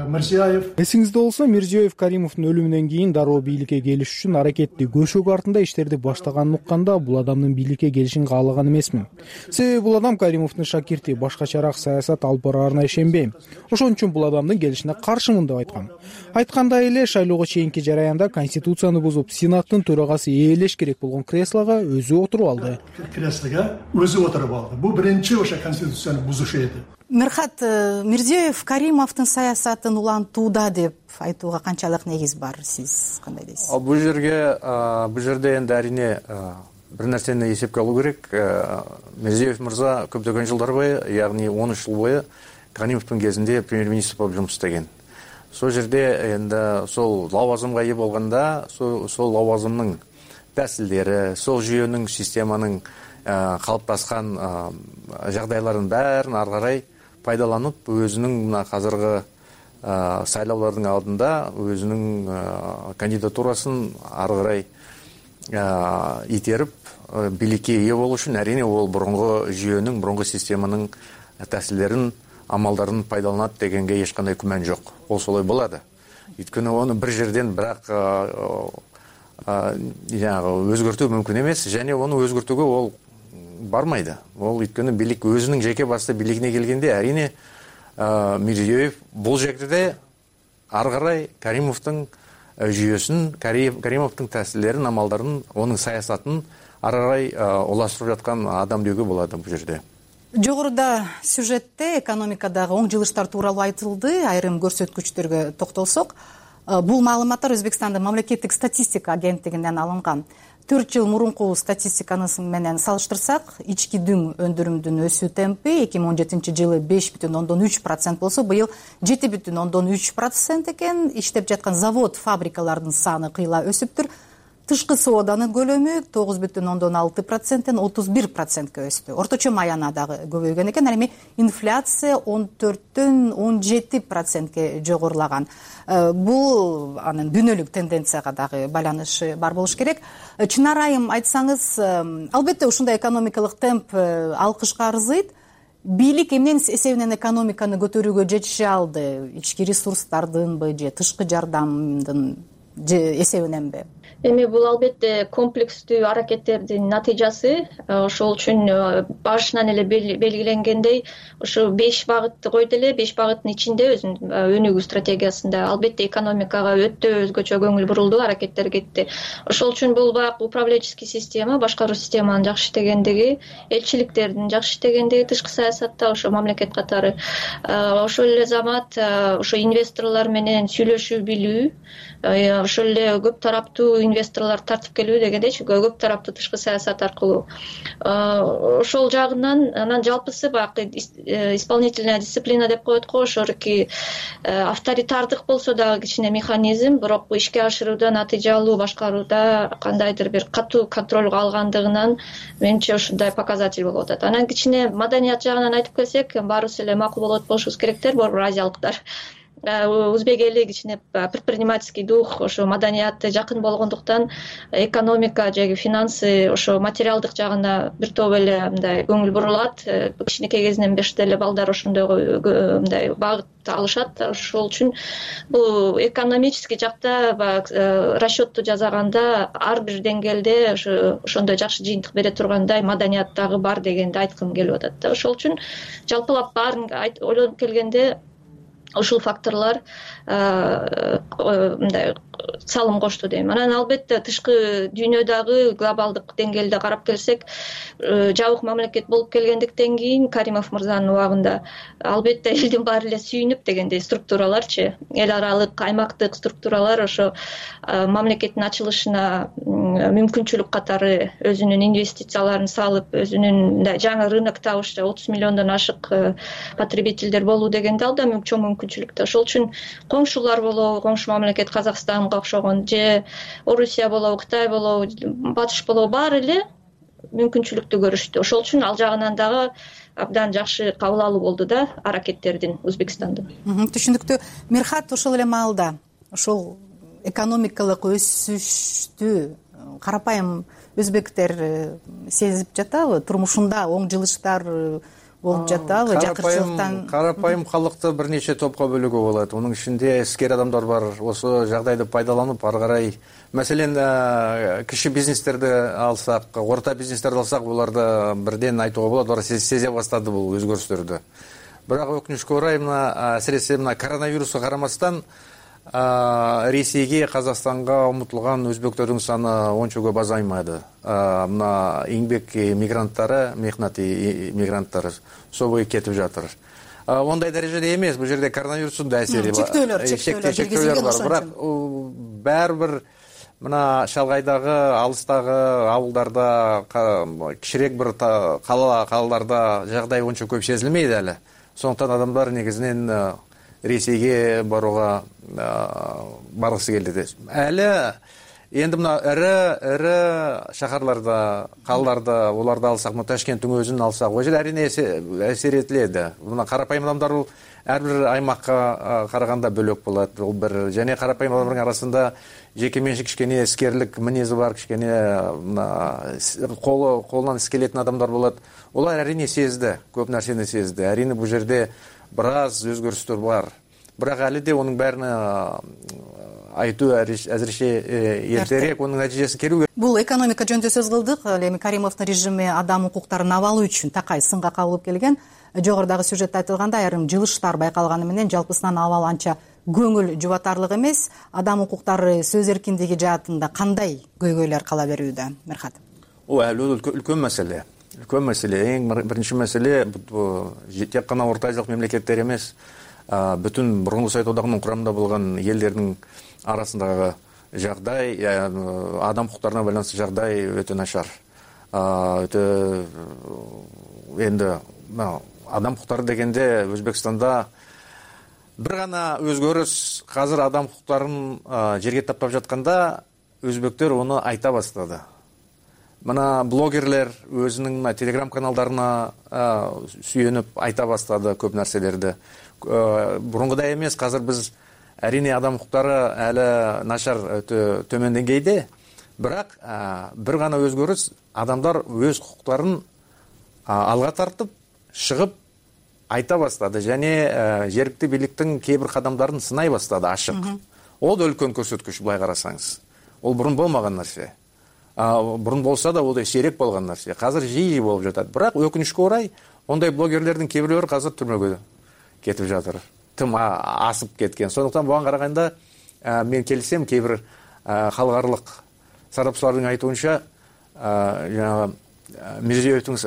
Мирзиёев Эсиңизде болсо, Мирзиёев Каримовдун өлүмүнөн кийин дароо бийликке келиш үчүн аракетти көшөгө артында иштерди баштаганын укканда, бул адамдын бийликке келишин каалаган эмесмин. Себеби бул адам Каримовдун шакирти, башкачараак саясат алып бараарына ишенбейм. Ошон үчүн бул адамдын келишине каршымын деп айткам. Айткандай эле, шайлоого чейинки жараянда конституцияны бузуп, сенаттын төрагасы ээлеш керек болгон креслого өзү отуруп алды. Креслого өзү отуруп алды. Бул биринчи ошо конституцияны бузушу эди. Мирхат, Мирзиёев Каримовдун саясатын улантууда деп айтууга канчалык негиз бар, сиз кандай дейсиз? Бул жерге, бул жерде энди арине бир нерсени эсепке алуу керек. Мирзиёев мырза көптөгөн жылдар бою, ягни он үч жыл бою Каримовдун кезинде премьер-министр болуп жумуш истеген. Сол жерде энди сол лавазымга ээ болгондо, сол лавазымдын тәсилдери, сол жүйөнүн, системанын калыптаскан жагдайларын баарын ары карай пайдаланып, өзүнүн мына азыркы сайлоолордун алдында өзүнүн кандидатурасын ары карай итерип бийликке ээ болуу үчүн арине ол мурунку жүйөнүн, мурунку системанын тәсилдерин, амалдарын пайдаланат дегенге эч кандай күмөн жок. Ол солой болот. Өйткөнү оны бир жерден бирок жанагы өзгөртүү мүмкүн эмес, және оны өзгөртүүгө ол бармайды. Ол өйткөнү бийлик өзүнүн жеке басты бийлигине келгенде, арине Мирзиёев бул жерде ары карай Каримовдун жүйөсүн, Каримовдун тәсилдерин, амалдарын, онун саясатын ары карай улаштырып жаткан адам деүүгө болот бул жерде. жогоруда сюжетте экономикадагы оң жылыштар тууралуу айтылды. Айрым көрсөткүчтөргө токтолсок, бул маалыматтар Өзбекстандын мамлекеттик статистика агенттигинен алынган. төрт жыл мурунку статистиканы менен салыштырсак, ички дүң өндүрүмдүн өсүү темпи эки миң он жетинчи жылы беш бүтүн ондон үч процент болсо, быйыл жети бүтүн ондон үч процент экен. Иштеп жаткан завод, фабрикалардын саны кыйла өсүптүр. Тышкы сооданын көлөмү тогуз бүтүн ондон алты проценттен отуз бир процентке өстү. Орточо маяна дагы көбөйгөн экен. Ал эми инфляция он төрттөн он жети процентке жогорулаган. Бул анын дүйнөлүк тенденцияга дагы байланышы бар болуш керек. Чынар айым, айтсаңыз, албетте ушундай экономикалык темп алкышка арзыйт. Бийлик эмненин эсебинен экономиканы көтөрүүгө жетише алды? Ички ресурстардынбы же тышкы жардамдын эсебиненби? Эми бул албетте комплекстүү аракеттердин натыйжасы. Ошол үчүн башынан эле белгиленгендей, ушу беш багытты койду эле. беш багыттын ичинде өзүнүн өнүгүү стратегиясында албетте экономикага өтө өзгөчө көңүл бурулду, аракеттер кетти. Ошол үчүн бул баягы управленческий система, башкаруу системанын жакшы иштегендиги, элчиликтердин жакшы иштегендиги, тышкы саясатта ошо мамлекет катары, ошол эле замат ошо инвесторлор менен сүйлөшүү билүү, ошол эле көп тараптуу инвесторлор тартып келүү дегендейчи, көп тараптуу тышкы саясат аркылуу. Ошол жагынан анан жалпысы баягы исполнительная дисциплина деп коет го, ошоки авторитардык болсо дагы кичине механизм, бирок ишке ашырууда, натыйжалуу башкарууда кандайдыр бир катуу контролго алгандыгынан менимче ушундай показатель болуп атат. Анан кичине маданият жагынан айтып келсек, баарыбыз эле макул болот болушубуз керектер, борбор азиялыктар. Өзбек эли кичине предпринимательский дух, ошо маданияты жакын болгондуктан экономика же финансы, ошо материалдык жагына бир топ эле мындай көңүл бурулат. Кичинекей кезинен бешти эле балдар ошондой мындай багыт алышат. Ошол үчүн бул экономический жакта баягы расчетту жасаганда ар бир деңгээлде ошо ошондой жакшы жыйынтык бере тургандай маданият дагы бар дегенди айткым келип атат да. Ошол үчүн жалпылап баарын ойлонуп келгенде ушул факторлор мындай салым кошту дейм. Анан албетте тышкы дүйнөдөгү глобалдык деңгээлде карап келсек, жабык мамлекет болуп келгендиктен кийин Каримов мырзанын убагында албетте элдин баары эле сүйүнүп дегендей структураларчы, эл аралык, аймактык структуралар ошо мамлекеттин ачылышына мүмкүнчүлүк катары өзүнүн инвестицияларын салып, өзүнүн жаңы рынок табыш, отуз миллиондон ашык потребительдер болуу дегенде ал да чоң мүмкүнчүлүктө. Ошол үчүн коңшулар болобу, коңшу мамлекет Казакстанга окшогон же Орусия болобу, Кытай болобу, Батыш болобу, баары эле мүмкүнчүлүктү көрүштү. Ошол үчүн ал жагынан дагы абдан жакшы кабыл алуу болду да аракеттердин Өзбекстандын. Түшүндүктүү. Мирхат, ошол эле маалда ошол экономикалык өсүштү карапайым өзбектер сезип жатабы? Турмушунда оң жылыштар болуп жатабы? Жакырчылыктан карапайым калкты бир нече топко бөлүүгө болот. Мунун ичинде искер адамдар бар. Ошо жагдайды пайдаланып ары карай, маселен, кичи бизнестерди алсак, орто бизнестерди алсак, буларды бирден айтууга болот, алар сезе баштады бул өзгөрүштөрдү. Бирок өкүнүчкө орай, мына асиресе мына коронавируска карамастан Ресейге, Казакстанга умутулган өзбектөрдүн саны ончо көп азаймады. Мына эмгек мигранттары, мехнат мигранттары собой кетип жатыр. Ондай дарежеде эмес, бул жерде коронавирустун да асери бар. Чектөөлөр, чектөөлөр бар. Бирок баары бир мына шалгайдагы, алыстагы абылдарда, кичирээк бир кала калаларда жагдай ончо көп сезилмейт эле. Сондуктан адамдар негизинен Ресейге барууга баргысы келди. Әлі енді мына ірі шахарларда, қалаларда, оларды алсақ, мына Ташкенттің өзін алсақ, ол жер әрине әсер етіледі. Мына қарапайым адамдар ол әрбір аймаққа қарағанда бөлек болады. Ол бір және қарапайым адамдардың арасында жекеменшік кішкене іскерлік мінезі бар, кішкене қолынан іс келетін адамдар болады. Олар әрине сезді, көп нәрсені сезді. Әрине бұл жерде біраз өзгөрүстөр бар. Бирок әлі де оның бәріне айтуу әзірше ертерек, оның нәтижесин керүү. Бул экономика жөнүндө сөз кылдык. Эми Каримовдун режими адам укуктарын абалы үчүн такай сынга кабылып келген. Жогорудагы сюжетте айтылгандай, айрым жылыштар байкалганы менен жалпысынан абал анча көңүл жубатарлык эмес. Адам укуктары, сөз эркиндиги жаатында кандай көйгөйлөр кала берүүдө, Мирхат? О, әлі үлкен мәселе. үлкен маселе. Эң биринчи маселе бул тек гана Орто Азиялык мемлекеттер эмес, бүтүн Мурунку Совет Одагынын курамында болгон элдердин арасындагы жагдай, адам укуктарына байланыштуу жагдай өтө начар. Өтө энди адам укуктары дегенде Өзбекстанда бир гана өзгөрүш, азыр адам укуктарын жерге таптап жатканда өзбектер оны айта баштады. Мына блогерлер өзүнүн телеграм каналдарына сүйөнүп айта баштады көп нерселерди. Бурунгудай эмес, азыр биз әрине адам укуктары әле начар, өтө төмөн деңгейде, бирок бир гана өзгөрүш, адамдар өз укуктарын алга тартып, чыгып айта баштады және жергиликтүү бийликтин кээ бир кадамдарын сынай баштады ачык. Ол да үлкөн көрсөткүч, былай карасаңыз. Ол бурун болмаган нерсе. Бурун болса да ол сейрек болгон нерсе. Азыр жиі болуп жатат. Бирок өкүнүчкө орай, ондай блогерлердин кээ бирлери азыр түрмөгө кетип жатыр. Тым асып кеткен. Сондуктан буга караганда мен келисем, кээ бир халыкаралык сарапчылардын айтуунча, жанагы Мирзиёевдин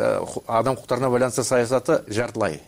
адам укуктарына байланыштуу саясаты жартылай.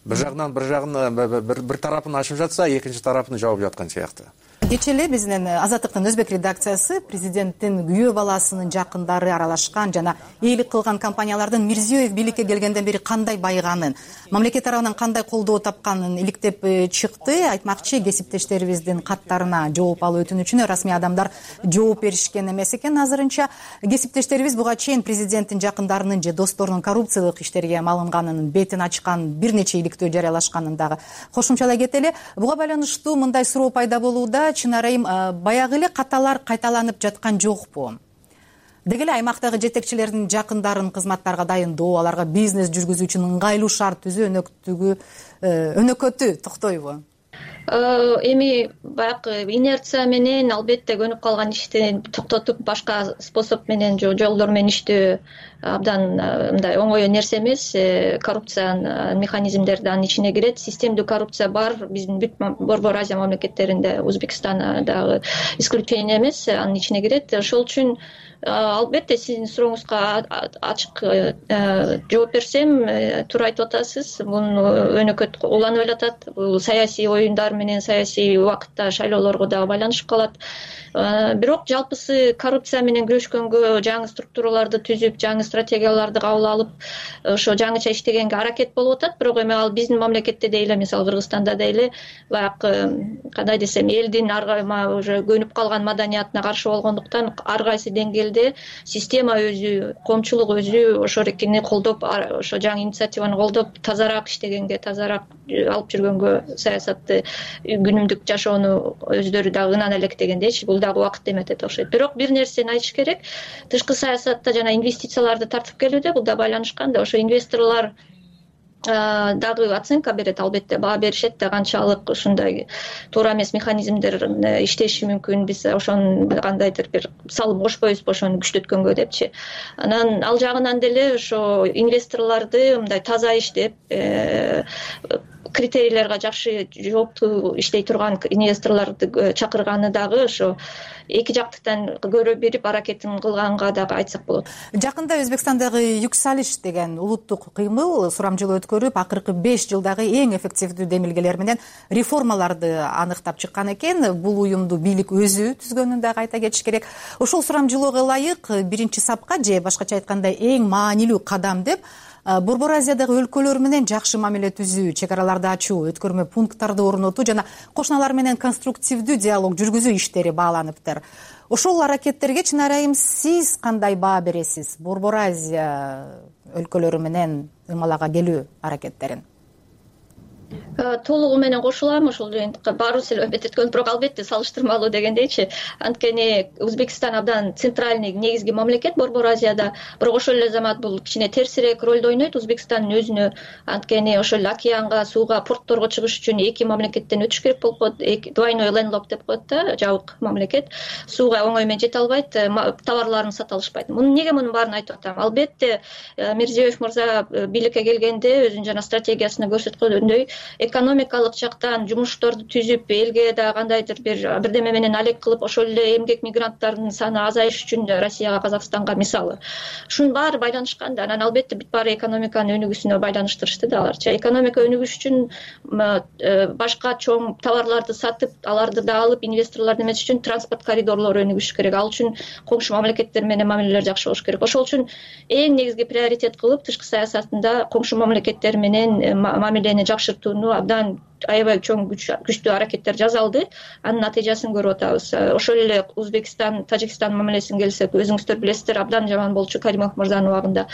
Бир жагынан бир жагын бир тарапын ачып жатса, экинчи тарапын жаап жаткан сыяктуу. Кечээ эле биздин Азаттыктын өзбек редакциясы президенттин күйөө баласынын жакындары аралашкан жана ээлик кылган компаниялардын Мирзиёев бийликке келгенден бери кандай байыганын, мамлекет тарабынан кандай колдоо тапканын иликтеп чыкты. Айтмакчы, кесиптештерибиздин каттарына жооп алуу өтүнүчүнө расмий адамдар жооп беришкен эмес экен. Азырынча кесиптештерибиз буга чейин президенттин жакындарынын же досторунун коррупциялык иштерге малынганын бетин ачкан бир нече иликтөө жарыялашканын дагы кошумчалай кетели. Буга байланыштуу мындай суроо пайда болууда. Чынар айым, баягы эле каталар кайталанып жаткан жокпу? Деги эле аймактагы жетекчилердин жакындарын кызматтарга дайындоо, аларга бизнес жүргүзүү үчүн ыңгайлуу шарт түзүү өнөктүгү өнөкөтү токтойбу? Эми баягы инерция менен албетте көнүп калган ишти токтотуп башка способ менен жолдор менен иштөө абдан мындай оңой нерсе эмес. Коррупциянын механизмдери анын ичине кирет. Системдүү коррупция бар биздин бүт Борбор Азия мамлекеттеринде, Өзбекстан дагы исключение эмес, анын ичине кирет. Ошол үчүн албетте сиздин сурооңузга ачык жооп берсем, туура айтып атасыз. Бул өнөкөт уланып элатат. Бул саясий оюндар менен саясий убакытта шайлоолорго дагы байланышып калат. Бирок жалпысы коррупция менен күрөшкөнгө жаңы структураларды түзүп, жаңы стратегияларды кабыл алып, ошо жаңыча иштегенге аракет болуп атат. Бирок эми ал биздин мамлекетте да эле, мисалы Кыргызстанда да эле баягы кандай десем, элдин аргайма уже көнүп калган маданиятына каршы болгондуктан ар кайсы деңгээлде система өзү, коомчулук өзү ошо эркини колдоп, ошо жаңы инициативаны колдоп, тазараак иштегенге, тазараак алып жүргөнгө, саясатты күнүмдүк жашоону өздөрү дагы ынана электегендейчи, бул дагы убакыт эметет окшойт. Бирок бир нерсени айтыш керек. Тышкы саясатта жана инвестицияларды тартып келүүдө бул да байланышкан да. Ошо инвесторлор дагы оценка берет, албетте баа беришет да, канчалык ушундай туура эмес механизмдер иштеши мүмкүн, биз ошону кандайдыр бир салым кошпойбузбу ошону күчтөткөнгө депчи. Анан ал жагынан деле ошо инвесторлорду мындай таза иштеп, критерийлерге жакшы жооптуу иштей турган инвесторлорду чакырганы дагы ошо эки жактыктан көрө берип аракетин кылганга дагы айтсак болот. Жакында Өзбекстандагы Юксалиш деген улуттук кыймыл сурамжылоо өткөрүп, акыркы беш жылдагы эң эффективдүү демилгелер менен реформаларды аныктап чыккан экен. Бул уюмду бийлик өзү түзгөнүн дагы айта кетиш керек. Ошол сурамжылоого ылайык биринчи сапка же башкача айтканда эң маанилүү кадам деп Борбор Азиядагы өлкөлөр менен жакшы мамиле түзүү, чек араларды ачуу, өткөрмө пункттарды орнотуу жана кошуналар менен конструктивдүү диалог жүргүзүү иштери бааланыптыр. Ошол аракеттерге Чынар айым, сиз кандай баа бересиз? Борбор Азия өлкөлөрү менен ымалага келүү аракеттерин? Толугу менен кошулам. Ошол баарыбыз эле өбөт эткөн, бирок албетте салыштырмалуу дегендейчи. Анткени Өзбекстан абдан центральный, негизги мамлекет Борбор Азияда, бирок ошол эле замат бул кичине терсирээк ролду ойнойт Өзбекстандын өзүнө. Анткени ошол океанга, сууга, портторго чыгыш үчүн эки мамлекеттен өтүш керек болуп коет. Двойной лендлок деп коет да, жабык мамлекет. Сууга оңой менен жете албайт, товарларын сата алышпайт. Муну неге мунун баарын айтып атам? Албетте Мирзиёев мырза бийликке келгенде өзүнүн жана стратегиясында көрсөткөндөй экономикалык жактан жумушторду түзүп элге да кандайдыр бир бирдеме менен алек кылып ошол эле эмгек мигранттарынын саны азайыш үчүн Россияга, Казакстанга мисалы ушунун баары байланышкан да. Анан албетте бүт баары экономиканын өнүгүүсүнө байланыштырышты да аларчы. Экономика өнүгүш үчүн башка чоң товарларды сатып, аларды да алып инвесторлорду эмес үчүн транспорт коридорлору өнүгүш керек. Ал үчүн коңшу мамлекеттер менен мамилелер жакшы болуш керек. Ошол үчүн эң негизги приоритет кылып тышкы саясатында коңшу мамлекеттер менен мамилени жакшыртууну абдан аябай чоң күчтүү аракеттер жасалды. Анын натыйжасын көрүп атабыз. Ошол эле Узбекистан, Тажикстан мамилесин келсек, өзүңүздөр билесиздер, абдан жаман болчу Каримов мырзанын убагында.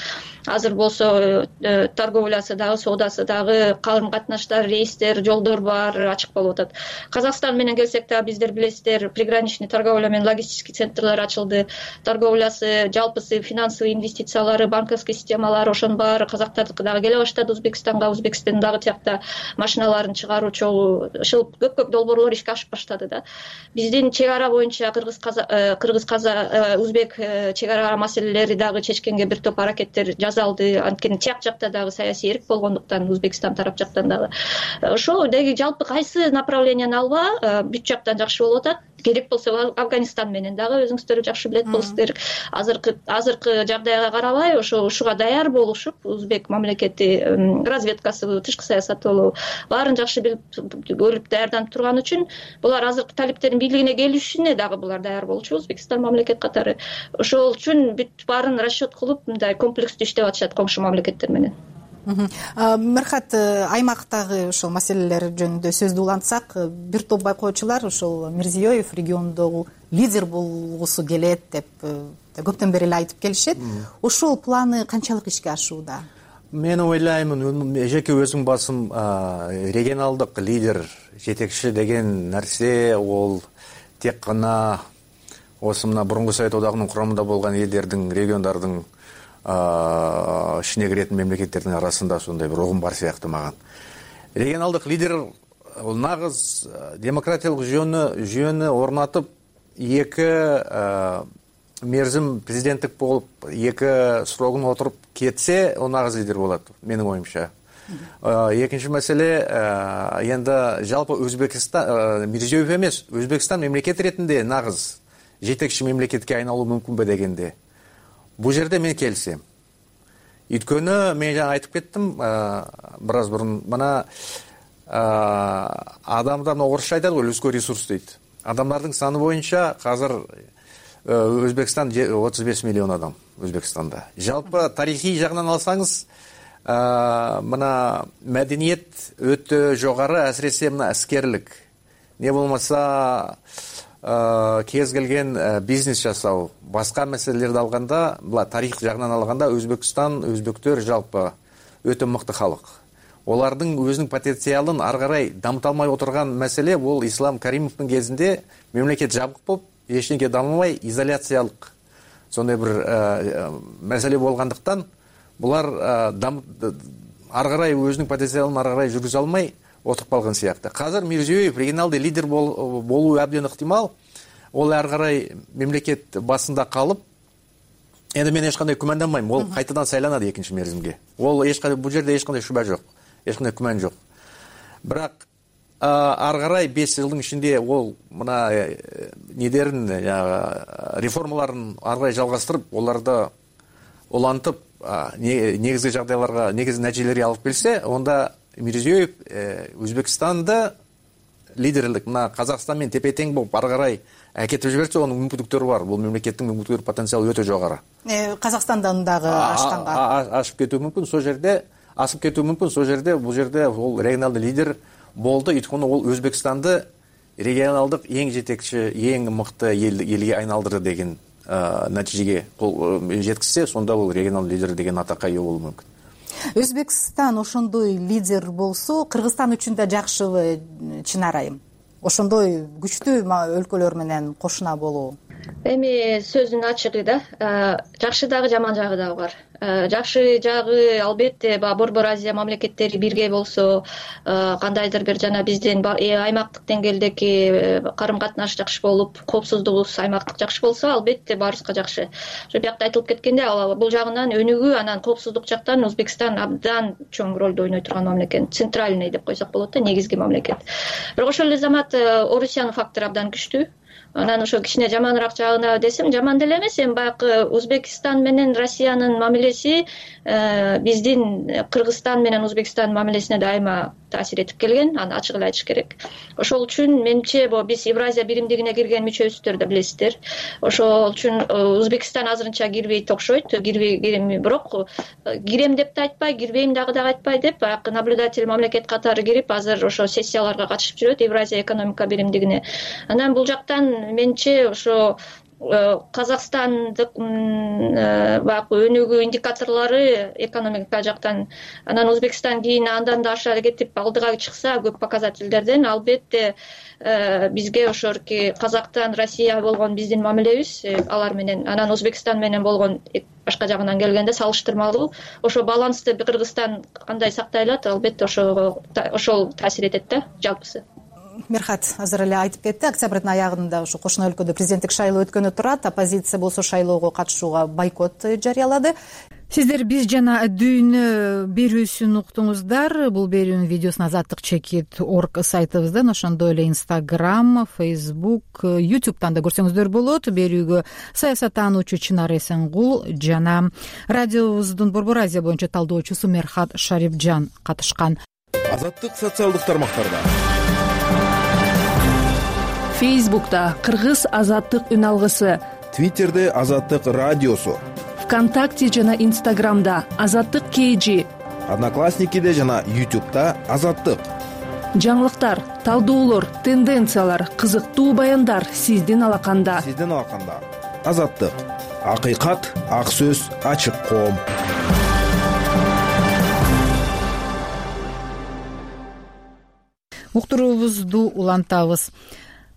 Азыр болсо торговлясы дагы, соодасы дагы, карым катнаштар, рейстер, жолдор бар, ачык болуп атат. Казакстан менен келсек дагы биздер билесиздер, приграничный торговля менен логистический центрлер ачылды. Торговлясы, жалпысы финансовый инвестициялары, банковский системалары ошонун баары казактардыкы дагы келе баштады Узбекистанга. Узбекистан дагы тиякта машиналарын чыгаруу чогуу ушул көп-көп долбоорлор ишке ашып баштады да. Биздин чек ара боюнча кыргыз кыргыз Узбек чек ара маселелери дагы чечкенге бир топ аракеттер жасалды. Анткени тияк жакта дагы саясий эрк болгондуктан Узбекистан тарап жактан дагы ошол деги жалпы кайсы направленияны алба бүт жактан жакшы болуп атат. Керек болсо Афганистан менен дагы өзүңүздөр жакшы билет болосуздар. Азыркы азыркы жагдайга карабай ошо ушуга даяр болушуп, Узбек мамлекети разведкасы, тышкы саясаты болобу баарын жакшы билип көрүп даярданып турган үчүн булар азыркы талиптердин бийлигине келишине дагы булар даяр болчу, Узбекистан мамлекет катары. Ошол үчүн бүт баарын расчет кылып мындай комплекстүү иштеп атышат коңшу мамлекеттер менен. Мирхат, аймактагы ошол маселелер жөнүндө сөздү улантсак, бир топ байкоочулар ошол Мирзиёев региондогу лидер болгусу келет деп көптөн бери эле айтып келишет. Ошол планы канчалык ишке ашууда? Мен ойлаймын, жеке өзүм басым регионалдык лидер, жетекчи деген нерсе ол тек гана осы мына бурунку Совет одагынын курамында болгон элдердин, региондордун ишине киретін мемлекеттердің арасында сондай бір ұғым бар сияқты маған. Регионалдық лидер ол нағыз демократиялық жүйені жүйені орнатып, екі мерзім президенттік болып, екі срогын отырып кетсе, ол нағыз лидер болады, менің ойымша. Екінші мәселе, енді жалпы Өзбекстан, Мирзиёев емес, Өзбекстан мемлекет ретінде нағыз жетекші мемлекетке айналу мүмкін бе дегенде. Бұл жерде мен келсем. Өйткені мен жаңа айтып кеттім, біраз бұрын, мына адамдар орысша айтады ғой, людской ресурс дейді. Адамдардың саны бойынша қазір Өзбекстан отуз беш миллион адам Өзбекстанда. Жалпы тарихи жағынан алсаңыз, мына мәдениет өте жоғары, әсіресе мына әскерлік. Не болмаса кез келген бизнес жасау, басқа мәселелерді алғанда, тарих жағынан алғанда Өзбекстан, өзбектер жалпы өте мықты халық. Олардың өзінің потенциалын ары қарай дамыталмай отырған мәселе, ол Ислам Каримовтың кезінде мемлекет жабық болып, ештеңе дамымай, изоляциялық сондай бір мәселе болғандықтан, бұлар ары қарай өзінің потенциалын ары қарай жүргізе алмай отырып қалған сияқты. Қазір Мирзиёев регионалды лидер болуы әбден ықтимал. Ол ары қарай мемлекет басында қалып, енді мен ешқандай күмәнданбаймын. Ол қайтадан сайланады екінші мерзімге. Ол ешқандай, бұл жерде ешқандай шүбә жоқ, ешқандай күмән жоқ. Бірақ ары қарай бес жылдың ішінде ол мына недерін, реформаларын ары қарай жалғастырып, оларды олантып, негізгі жағдайларға, негізгі нәтижелерге алып келсе, онда Мирзиёев Өзбекстанды лидерлік, мына Қазақстанмен тепе-тең болып ары қарай әкетіп жіберсе, оның мүмкіндіктері бар. Бұл мемлекеттің мүмкіндіктері потенциалы өте жоғары. Қазақстандан дағы аштанға ашып кетуі мүмкін, сол жерде асып кетуі мүмкін, сол жерде бұл жерде ол регионалды лидер болды. Өйткені ол Өзбекстанды регионалдық ең жетекші, ең мықты елге айналдырды деген нәтижеге жеткізсе, сонда ол регионалды лидер деген атаққа ие болуы мүмкін. Өзбекстан ошондой лидер болсо, Кыргызстан үчүн да жакшыбы, Чынар айым? Ошондой күчтүү өлкөлөр менен кошуна болуу? Эми сөздүн ачыгы да жакшы дагы жаман жагы дагы бар. Жакшы жагы албетте баягы Борбор Азия мамлекеттери бирге болсо, кандайдыр бир жана биздин аймактык деңгээлдеги карым катнаш жакшы болуп, коопсуздугубуз аймактык жакшы болсо, албетте баарыбызга жакшы. Ошо биякта айтылып кеткендей, бул жагынан өнүгүү, анан коопсуздук жактан Өзбекстан абдан чоң ролду ойной турган мамлекет, центральный деп койсок болот да, негизги мамлекет. Бирок ошол эле замат Орусиянын фактору абдан күчтүү. Анан ошо кичине жаманыраак жагына десем, жаман деле эмес. Эми баягы Өзбекстан менен Россиянын мамилеси биздин Кыргызстан менен Өзбекстандын мамилесине дайыма таасир этип келген, аны ачык эле айтыш керек. Ошол үчүн менимче биз Евразия биримдигине кирген мүчөбүздөр да билесиздер. Ошол үчүн Өзбекстан азырынча кирбейт окшойт, кирбей, бирок кирем деп да айтпай, кирбейм дагы деп айтпай деп, баягы наблюдатель мамлекет катары кирип, азыр ошо сессияларга катышып жүрөт Евразия экономика биримдигине. Анан бул жактан менимче ошо казакстандык баягы өнүгүү индикаторлору экономика жактан, анан Өзбекстан кийин андан да аша кетип алдыга чыкса көп показательдерден, албетте бизге ошорки казактан Россия болгон биздин мамилебиз алар менен, анан Өзбекстан менен болгон башка жагынан келгенде салыштырмалуу ошо балансты Кыргызстан кандай сактай алат, албетте ошого ошол таасир этет да жалпысы. Мерхат азыр эле айтып кетти, октябрдын аягында ушу кошуна өлкөдө президенттик шайлоо өткөнү турат. Оппозиция болсо шайлоого катышууга бойкот жарыялады. Сиздер биз жана дүйнө берүүсүн уктуңуздар. Бул берүүнүн видеосун азаттык чекит орг сайтыбыздан, ошондой эле Instagram, Facebook, YouTube'дан да көрсөңүздөр болот. Берүүгө саясаттануучу Чынар Эсенгул жана радиобуздун Борбор Азия боюнча талдоочусу Мерхат Шарипжан катышкан. Азаттык социалдык тармактарда. Фейсбукта Кыргыз азаттык үн алгысы, Твиттерде азаттык радиосу, ВКонтакте жана Инстаграмда азаттык кей, Одноклассникиде жана Ютубта азаттык. Жаңылыктар, талдоолор, тенденциялар, кызыктуу баяндар сиздин алаканда. Сиздин алаканда. Азаттык. Акыйкат, ак сөз, ачык коом. Уктуруубузду улантабыз.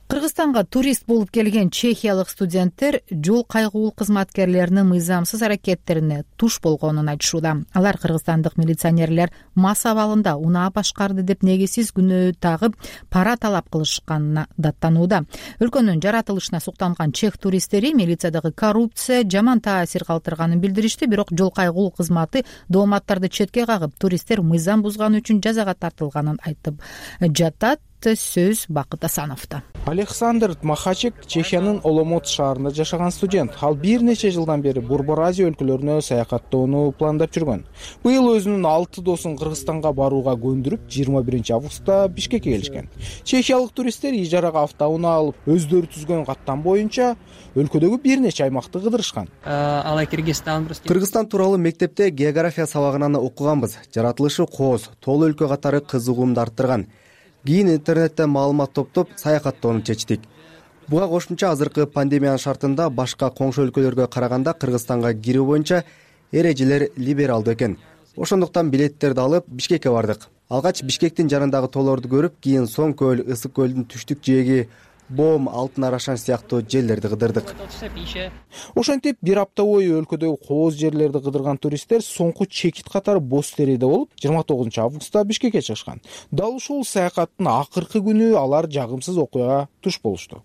Кыргызстанга турист болуп келген чехиялык студенттер жол кайгуул кызматкерлеринин мыйзамсыз аракеттерине туш болгонун айтышууда. Алар кыргызстандык милиционерлер мас абалында унаа башкарды деп негизсиз күнөө тагып пара талап кылышканына даттанууда. Өлкөнүн жаратылышына суктанган чех туристтери милициядагы коррупция жаман таасир калтырганын билдиришти, бирок жол кайгуул кызматы дооматтарды четке кагып, туристтер мыйзам бузганы үчүн жазага тартылганын айтып жатат. Сөз Бакыт Асановдо. Александр Махачек Чехиянын Оломот шаарында жашаган студент. Ал бир нече жылдан бери Борбор Азия өлкөлөрүнө саякаттоону пландап жүргөн. Быйыл өзүнүн алты досун Кыргызстанга барууга көндүрүп, жыйырма биринчи августта Бишкекке келишкен. Чехиялык туристтер ижарага автоунаа алып, өздөрү түзгөн каттам боюнча өлкөдөгү бир нече аймакты кыдырышкан. Кыргызстан тууралуу мектепте география сабагынан окуганбыз. Жаратылышы кооз, тоол өлкө катары кызыгуумду арттырган. Кийин интернеттен маалымат топтоп саякаттоону чечтик. Буга кошумча азыркы пандемиянын шартында башка коңшу өлкөлөргө караганда Кыргызстанга кирүү боюнча эрежелер либералдуу экен. Ошондуктан билеттерди алып Бишкекке бардык. Алгач Бишкектин жанындагы тоолорду көрүп, кийин Соң көл, Ысык көлдүн түштүк жээги, Бом, Алтын Арашан сыяктуу жерлерди кыдырдык. Ошентип бир апта бою өлкөдөгү кооз жерлерди кыдырган туристтер соңку чекит катары боз тереде болуп, жыйырма тогузунчу августта Бишкекке чыгышкан. Дал ушул саякаттын акыркы күнү алар жагымсыз окуяга туш болушту.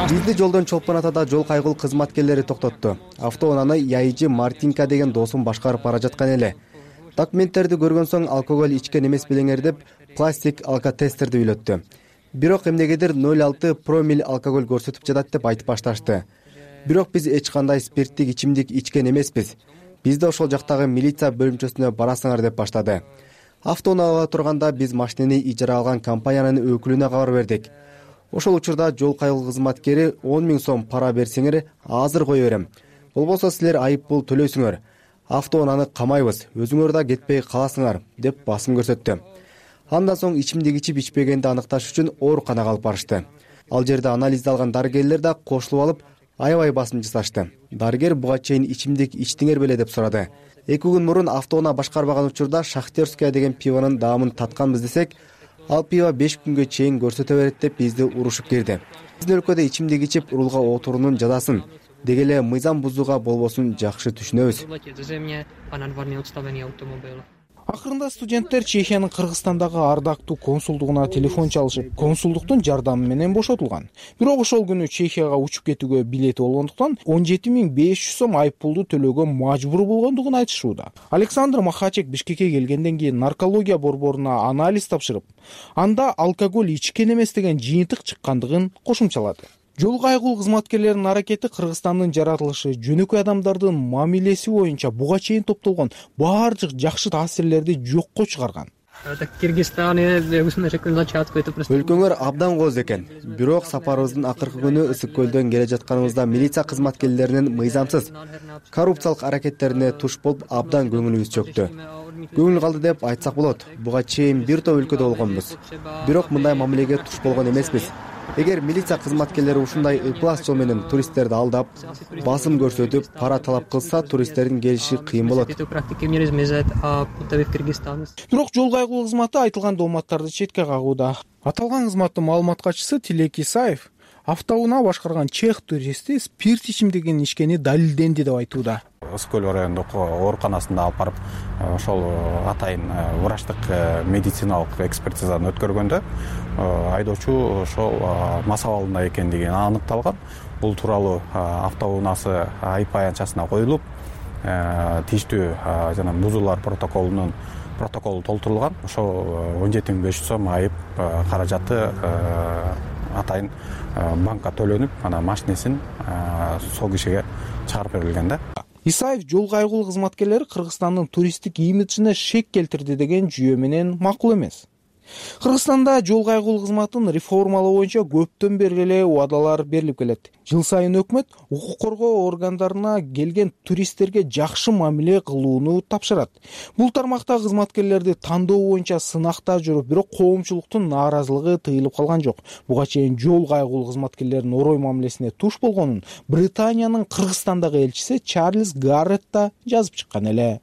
Бизди жолдон чолпон атада жол кайгуул кызматкерлери токтотту. Автоунааны Яйжи Мартинка деген досум башкарып бара жаткан эле. Документтерди көргөн соң алкоголь ичкен эмес белеңер деп пластик алкотестерди үйлөттү. Бирок эмнегедир ноль алты промил алкоголь көрсөтүп жатат деп айтып башташты. Бирок биз эч кандай спирттик ичимдик ичкен эмеспиз. Бизди ошол жактагы милиция бөлүмчөсүнө барасыңар деп баштады. Автоунаага турганда биз машинени ижара алган компаниянын өкүлүнө кабар бердик. Ошол учурда жол кайгуул кызматкери он миң сом пара берсеңер азыр кое берем. Болбосо силер айып пул төлөйсүңөр. Автоунааны камайбыз, өзүңөр да кетпей каласыңар деп басым көрсөттү. Андан соң ичимдик ичип ичпегенди аныкташ үчүн ооруканага алып барышты. Ал жерде анализди алган дарыгерлер да кошулуп алып, аябай басым жасашты. Дарыгер буга чейин ичимдик ичтиңер беле деп сурады. Эки күн мурун автоунаа башкарбаган учурда Шахтерская деген пивонун даамын татканбыз десек, Ал пиво беш күнгө чейин көрсөтө берет деп бизди урушуп кирди. Биздин өлкөдө ичимдик ичип рулга отуруунун жазасын, деги эле мыйзам бузууга болбосун жакшы түшүнөбүз. Акырында студенттер Чехиянын Кыргызстандагы ардактуу консулдугуна телефон чалышып, консулдуктун жардамы менен бошотулган. Бирок ошол күнү Чехияга учуп кетүүгө билети болгондуктан он жети миң беш жүз сом айып пулду төлөөгө мажбур болгондугун айтышууда. Александр Махачек Бишкекке келгенден кийин наркология борборуна анализ тапшырып, анда алкоголь ичкен эмес деген жыйынтык чыккандыгын кошумчалады. Жол кайгуу кызматкерлеринин аракети Кыргызстандын жаратылышы, жөнөкөй адамдардын мамилеси боюнча буга чейин топтолгон баардык жакшы таасирлерди жокко чыгарган. Өлкөңөр абдан кооз экен. Бирок сапарыбыздын акыркы күнү Ысык көлдөн келе жатканыбызда милиция кызматкерлеринин мыйзамсыз, коррупциялык аракеттерине туш болуп абдан көңүлүбүз чөктү. Көңүл калды деп айтсак болот. Буга чейин бир топ өлкөдө болгонбуз. Бирок мындай мамилеге туш болгон эмеспиз. Эгер милиция кызматкерлери ушундай ыплас жол менен туристтерди алдап, басым көрсөтүп, пара талап кылса, туристтердин келиши кыйын болот. Бирок жол кайгуу кызматы айтылган дооматтарды четке кагууда. Аталган кызматтын маалымат катчысы Тилек Исаев автоунаа башкарган чех туристи спирт ичимдигин ичкени далилденди деп айтууда. Ысык көл райондук ооруканасында алып барып, ошол атайын врачтык медициналык экспертизаны өткөргөндө айдоочу ошол мас абалында экендиги аныкталган. Бул тууралуу автоунаасы айып аянтчасына коюлуп, тийиштүү жана бузуулар протоколунун протоколу толтурулган. Ошол он жети миң беш жүз сом айып каражаты атайын банкка төлөнүп, анан машинесин сол кишиге чыгарып берилген да. Исаев жол кайгуу кызматкерлери Кыргызстандын туристтик имиджине шек келтирди деген жүйө менен макул эмес. Кыргызстанда жол кайгуу кызматын реформалоо боюнча көптөн бери эле убадалар берилип келет. Жыл сайын өкмөт укук коргоо органдарына келген туристтерге жакшы мамиле кылууну тапшырат. Бул тармакта кызматкерлерди тандоо боюнча сынакта жүрүп, бирок коомчулуктун нааразылыгы тыйылып калган жок. Буга чейин жол кайгуу кызматкерлеринин орой мамилесине туш болгонун Британиянын Кыргызстандагы элчиси Чарльз Гарретт да жазып чыккан эле.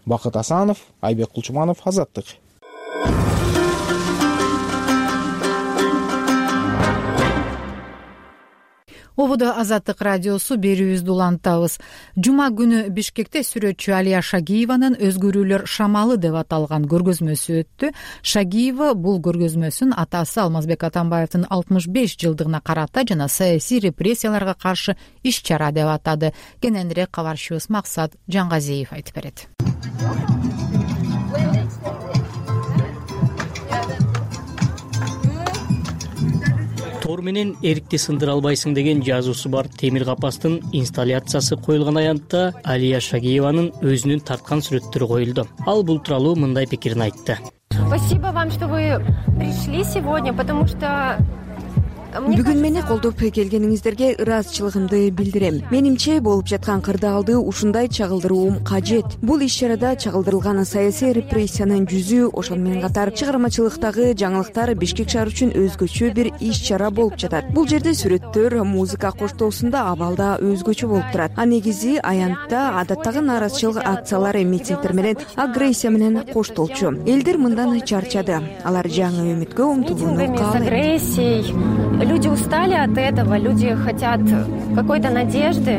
Бакыт Асанов, Айбек Кулчуманов, Азаттык. Ободо Азаттык радиосу берүүбүздү улантабыз. Жума күнү Бишкекте сүрөтчү Алия Шагиеванын «Өзгөрүүлөр шамалы» деп аталган көргөзмөсү өттү. Шагиева бул көргөзмөсүн атасы Алмазбек Атамбаевдин алтымыш беш жылдыгына карата жана саясий репрессияларга каршы иш-чара деп атады. Кененирээк кабарчыбыз Максат Жангазиев айтып берет. Тор менен эрикти сындыра албайсың деген жазуусу бар темир капастын инсталляциясы коюлган аянтта Алия Шагиеванын өзүнүн тарткан сүрөттөрү коюлду. Ал бул тууралуу мындай пикирин айтты. Спасибо вам, что вы пришли сегодня, потому что Бүгүн мени колдоп келгениңиздерге ыраазычылыгымды билдирем. Менимче болуп жаткан кырдаалды ушундай чагылдырууум кажет. Бул иш-чарада чагылдырылган саясий репрессиянын жүзү, ошону менен катар чыгармачылыктагы жаңылыктар Бишкек шаары үчүн өзгөчө бир иш-чара болуп жатат. Бул жерде сүрөттөр, музыка коштоосунда абал да өзгөчө болуп турат. А негизи аянтта адаттагы нааразычылык акциялары, митингдер менен агрессия менен коштолчу. Элдер мындан чарчады. Алар жаңы үмүткө умтулууну каалайт. Люди устали от этого, люди хотят какой-то надежды.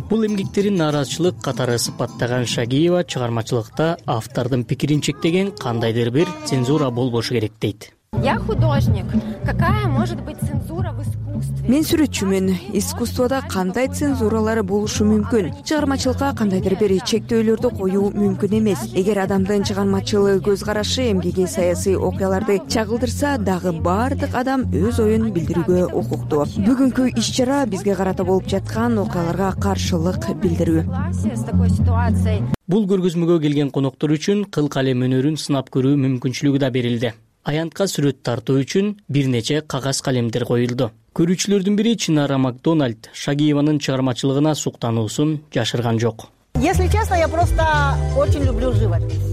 Бул эмгектерин нааразычылык катары сыпаттаган Шагиева чыгармачылыкта автордун пикирин чектеген кандайдыр бир цензура болбошу керек дейт. Я художник. Какая может быть цензура в искусстве? Мен сүрөтчүмүн. Искусствода кандай цензуралар болушу мүмкүн? Чыгармачылыкка кандайдыр бир чектөөлөрдү коюу мүмкүн эмес. Эгер адамдын чыгармачыл көз карашы эмгеги саясий окуяларды чагылдырса, дагы бардык адам өз оюн билдирүүгө укуктуу. Бүгүнкү иш-чара бизге карата болуп жаткан окуяларга каршылык билдирүү. Бул көргөзмөгө келген коноктор үчүн кыл калем өнөрүн сынап көрүү мүмкүнчүлүгү да берилди. Аянтка сүрөт тартуу үчүн бир нече кагаз калемдер коюлду. Көрүүчүлөрдүн бири Чинара Макдональд Шагиеванын чыгармачылыгына суктануусун жашырган жок. Если честно, я просто очень люблю живопись.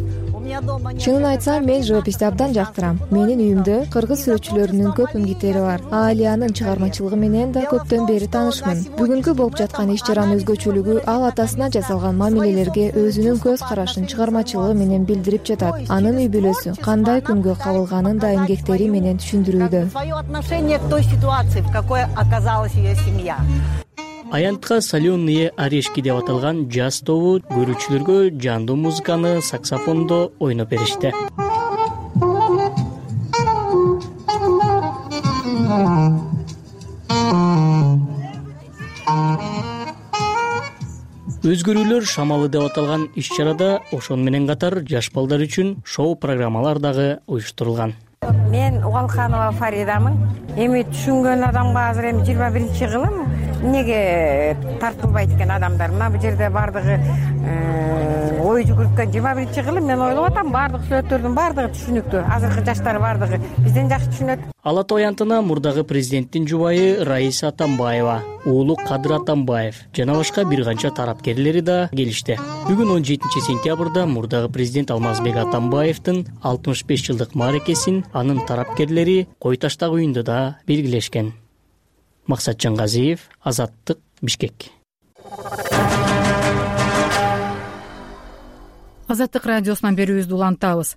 чынын айтсам мен живописти абдан жактырам. Менин үйүмдө кыргыз сүрөтчүлөрүнүн көп миңгиттери бар. Алиянын чыгармачылыгы менен да көптөн бери таанышмын. Бүгүнкү болуп жаткан иш чаранын өзгөчөлүгү ал атасына жасалган мамилелерге өзүнүн көз карашын чыгармачылыгы менен билдирип жатат. Анын үй бүлөсү кандай күнгө кабылганын да эмгектери менен түшүндүрүүдө. Аянтка соленые орешки деп аталган джаз тобу көрүүчүлөргө жандуу музыканы саксофондо ойноп беришти. Өзгөрүүлөр шамалы деп аталган иш-чарада ошону менен катар жаш балдар үчүн шоу программалар дагы уюштурулган. Мен Угалханова Фаридамын. Эми түшүнгөн адамга азыр эми жыйырма биринчи кылым эмнеге тартылбайт экен адамдар? Мына бул жерде бардыгы ой жүгүрткөн жыйырма биринчи кылым мен ойлоп атам бардык сүрөттөрдүн бардыгы түшүнүктүү. Азыркы жаштар бардыгы бизден жакшы түшүнөт. Ала Тоо аянтына мурдагы президенттин жубайы Раиса Атамбаева, уулу Кадыр Атамбаев жана башка бир канча тарапкерлери да келишти. Бүгүн он жетинчи сентябрда мурдагы президент Алмазбек Атамбаевдин алтымыш беш жылдык мааракесин анын тарапкерлери Кой Таштагы үйүндө да белгилешкен. Максат Жангазиев, Азаттык, Бишкек. Азаттык радиосунан берүүбүздү улантабыз.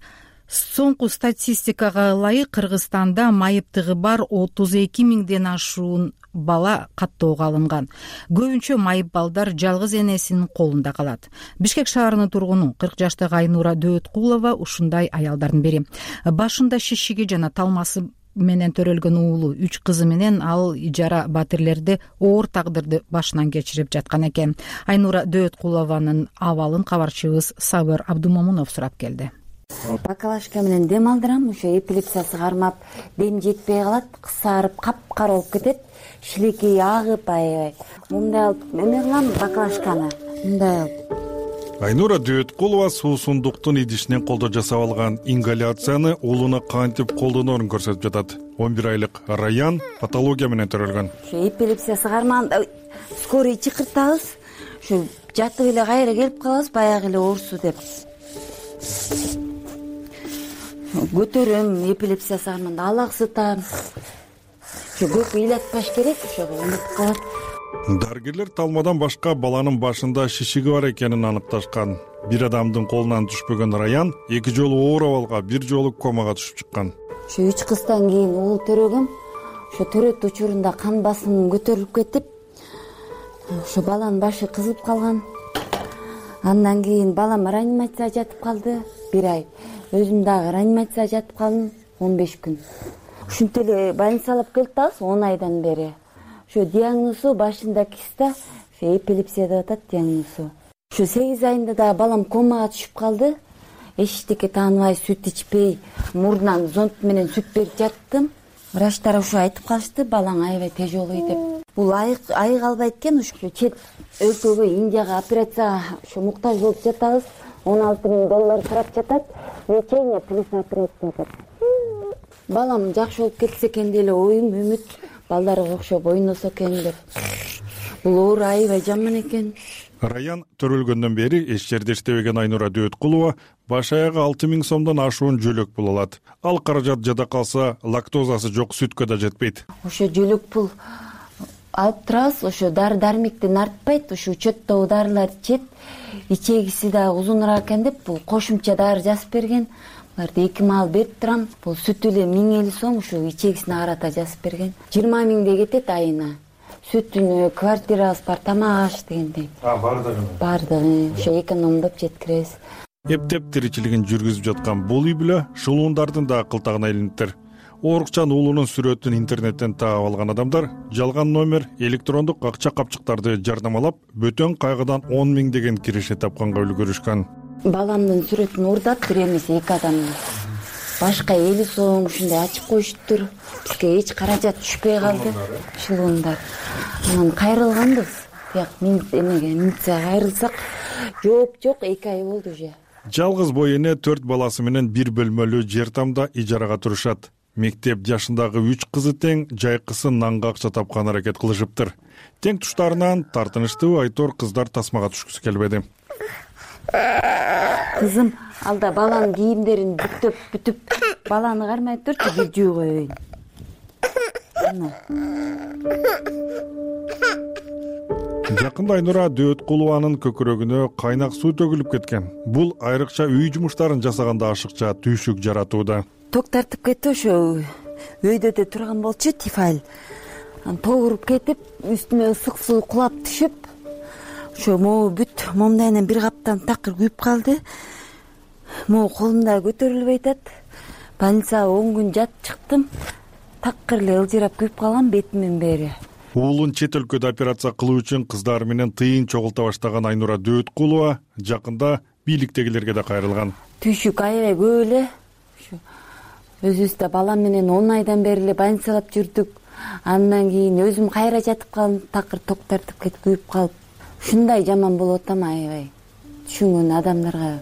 Соңку статистикага ылайык Кыргызстанда майыптыгы бар отуз эки миңден ашуун бала каттоого алынган. Көбүнчө майып балдар жалгыз энесинин колунда калат. Бишкек шаарынын тургуну кырк жаштагы Айнура Дөөткулова ушундай аялдардын бири. Башында шишиги жана талмасы менен төрөлгөн уулу үч кызы менен ал ижара батирлерди оор тагдырды башынан кечирип жаткан экен. Айнура Дөөткулованын абалын кабарчыбыз Сабыр Абдумомунов сурап келди. Бакалашка менен дем алдырам, ошо эпилепсиясы кармап, дем жетпей калат, кысарып, капкара болуп кетет, шилекей агып, аябай. Мындай алып эме кылам бакалашканы. Мындай алып. Айнура Дөөткулова суусундуктун идишинен колдо жасап алган ингаляцияны уулуна кантип колдоноорун көрсөтүп жатат. он бир айлык Раян патология менен төрөлгөн. Ошо эпилепсиясы кармаганда скорый чакыртабыз. Ошо жатып эле кайра келип калабыз, баягы эле оорусу деп. Көтөрөм, эпилепсиясы кармаганда алак сытам. Ошо көп ыйлатпаш керек, ошого унутуп калат. Дарыгерлер талмадан башка баланын башында шишиги бар экенин аныкташкан. Бир адамдын колунан түшпөгөн Раян эки жолу оор абалга, бир жолу комага түшүп чыккан. Ошо үч кыздан кийин уул төрөгөм. Ошо төрөт учурунда кан басымым көтөрүлүп кетип, ошо баланын башы кызып калган. Андан кийин балам реанимацияга жатып калды бир ай. Өзүм дагы реанимацияга жатып калдым он беш күн. Ушинтип эле больницага алып келип атабыз он айдан бери. Ошо диагнозу башында киста, ошо эпилепсия деп атат диагнозу. Ошо сегиз айында да балам комага түшүп калды. Эчтеке тааныбай, сүт ичпей, мурдунан зонт менен сүт берип жаттым. Врачтар ошо айтып калышты, балаң аябай тяжелый деп. Бул айык айык албайт экен, ошо чет өлкөгө Индияга операцияга ошо муктаж болуп жатабыз. он алты миң доллар сурап жатат. Лечение плюс операция деп. Балам жакшы болуп кетсе экен деле оюм, үмүт. Балдарга окшоп ойносо экен деп. Бул оор аябай жаман экен. Раян төрөлгөндөн бери эч жерде иштебеген Айнура Дөөткулова баш аягы алты миң сомдон ашуун жөлөк пул алат. Ал каражат жада калса, лактозасы жок сүткө да жетпейт. Ошо жөлөк пул алып турабыз, ошо дары дармектен артпайт, ошо учеттогу дарыларды ичет. Ичегиси да узунураак экен деп бул кошумча дары жазып берген. Буларды эки маал берип турам. Бул сүтү эле миң элүү сом, ошо ичегисине карата жазып берген. жыйырма миңдей кетет айына. Сүтүнө, квартирабыз бар, тамак аш дегендей. А, бардыгы. Бардыгы, ошо экономдоп жеткиребиз. Эптеп тиричилигин жүргүзүп жаткан бул үй бүлө шулуундардын да кылтагына илиниптир. Оорукчан уулунун сүрөтүн интернеттен таап алган адамдар жалган номер, электрондук акча капчыктарды жардамалап, бөтөн кайгыдан он миң деген киреше тапканга үлгүрүшкөн. Баламдын сүрөтүн уурдап бир эмес эки адамдын. Башка элүү сом ушундай ачып коюштур. Бизге эч каражат түшпөй калды. Шылуундар. Анан кайрылганбыз. Бияк эмеге милицияга кайрылсак, жооп жок, эки ай болду уже. Жалгыз бой эне төрт баласы менен бир бөлмөлүү жер тамда ижарага турушат. Мектеп жашындагы үч кызы тең жайкысы нанга акча тапкан аракет кылышыптыр. Тең туштарынан тартынычтуу айтор кыздар тасмага түшкүсү келбеди. кызым, алда баланын кийимдерин бүктөп бүтүп, баланы кармай турчу, бир жуу коеюн. Жакында Айнура Дөөткулованын көкүрөгүнө кайнак суу төгүлүп кеткен. Бул айрыкча үй жумуштарын жасаганда ашыкча түйшүк жаратууда. Ток тартып кетти, ошо өйдөдө турган болчу, тифаль. Анан ток уруп кетип, үстүмө ысык суу кулап түшүп, ошо могу бүт момдайынан бир каптан такыр күйүп калды. Могу колумда көтөрүлбөй атат. Больницага он күн жатып чыктым. Такыр эле ылжырап күйүп калган бетимдин бери. Уулун чет өлкөдө операция кылуу үчүн кыздары менен тыйын чогулта баштаган Айнура Дөөткулова жакында бийликтегилерге да кайрылган. Түйшүк аябай көп эле. Ушу өзүбүз да балам менен он айдан бери эле больницалап жүрдүк. Андан кийин өзүм кайра жатып калдым, такыр ток тартып кетип күйүп калып. Ушундай жаман болуп атам аябай. Түшүнгөн адамдарга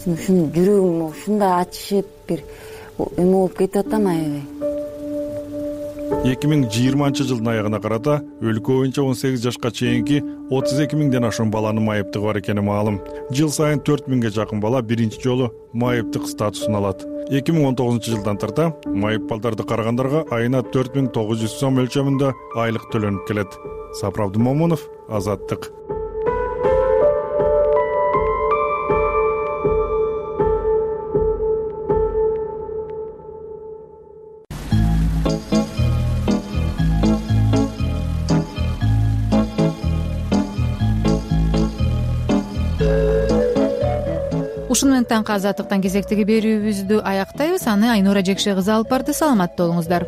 ушун жүрөгүм ушундай ачышып, бир эме болуп кетип атам аябай. эки миң жыйырманчы жылдын аягына карата өлкө боюнча он сегиз жашка чейинки отуз эки миңден ашуун баланын майыптыгы бар экени маалым. Жыл сайын төрт миңге жакын бала биринчи жолу майыптык статусун алат. эки миң он тогузунчу жылдан тарта майып балдарды карагандарга айына төрт миң тогуз жүз сом өлчөмүндө айлык төлөнүп келет. Сапар Абдумомунов, Азаттык. Ушуну менен таңкы Азаттыктан кезектеги берүүбүздү аяктайбыз. Аны Айнура Жекше кызы алып барды. Саламатта болуңуздар.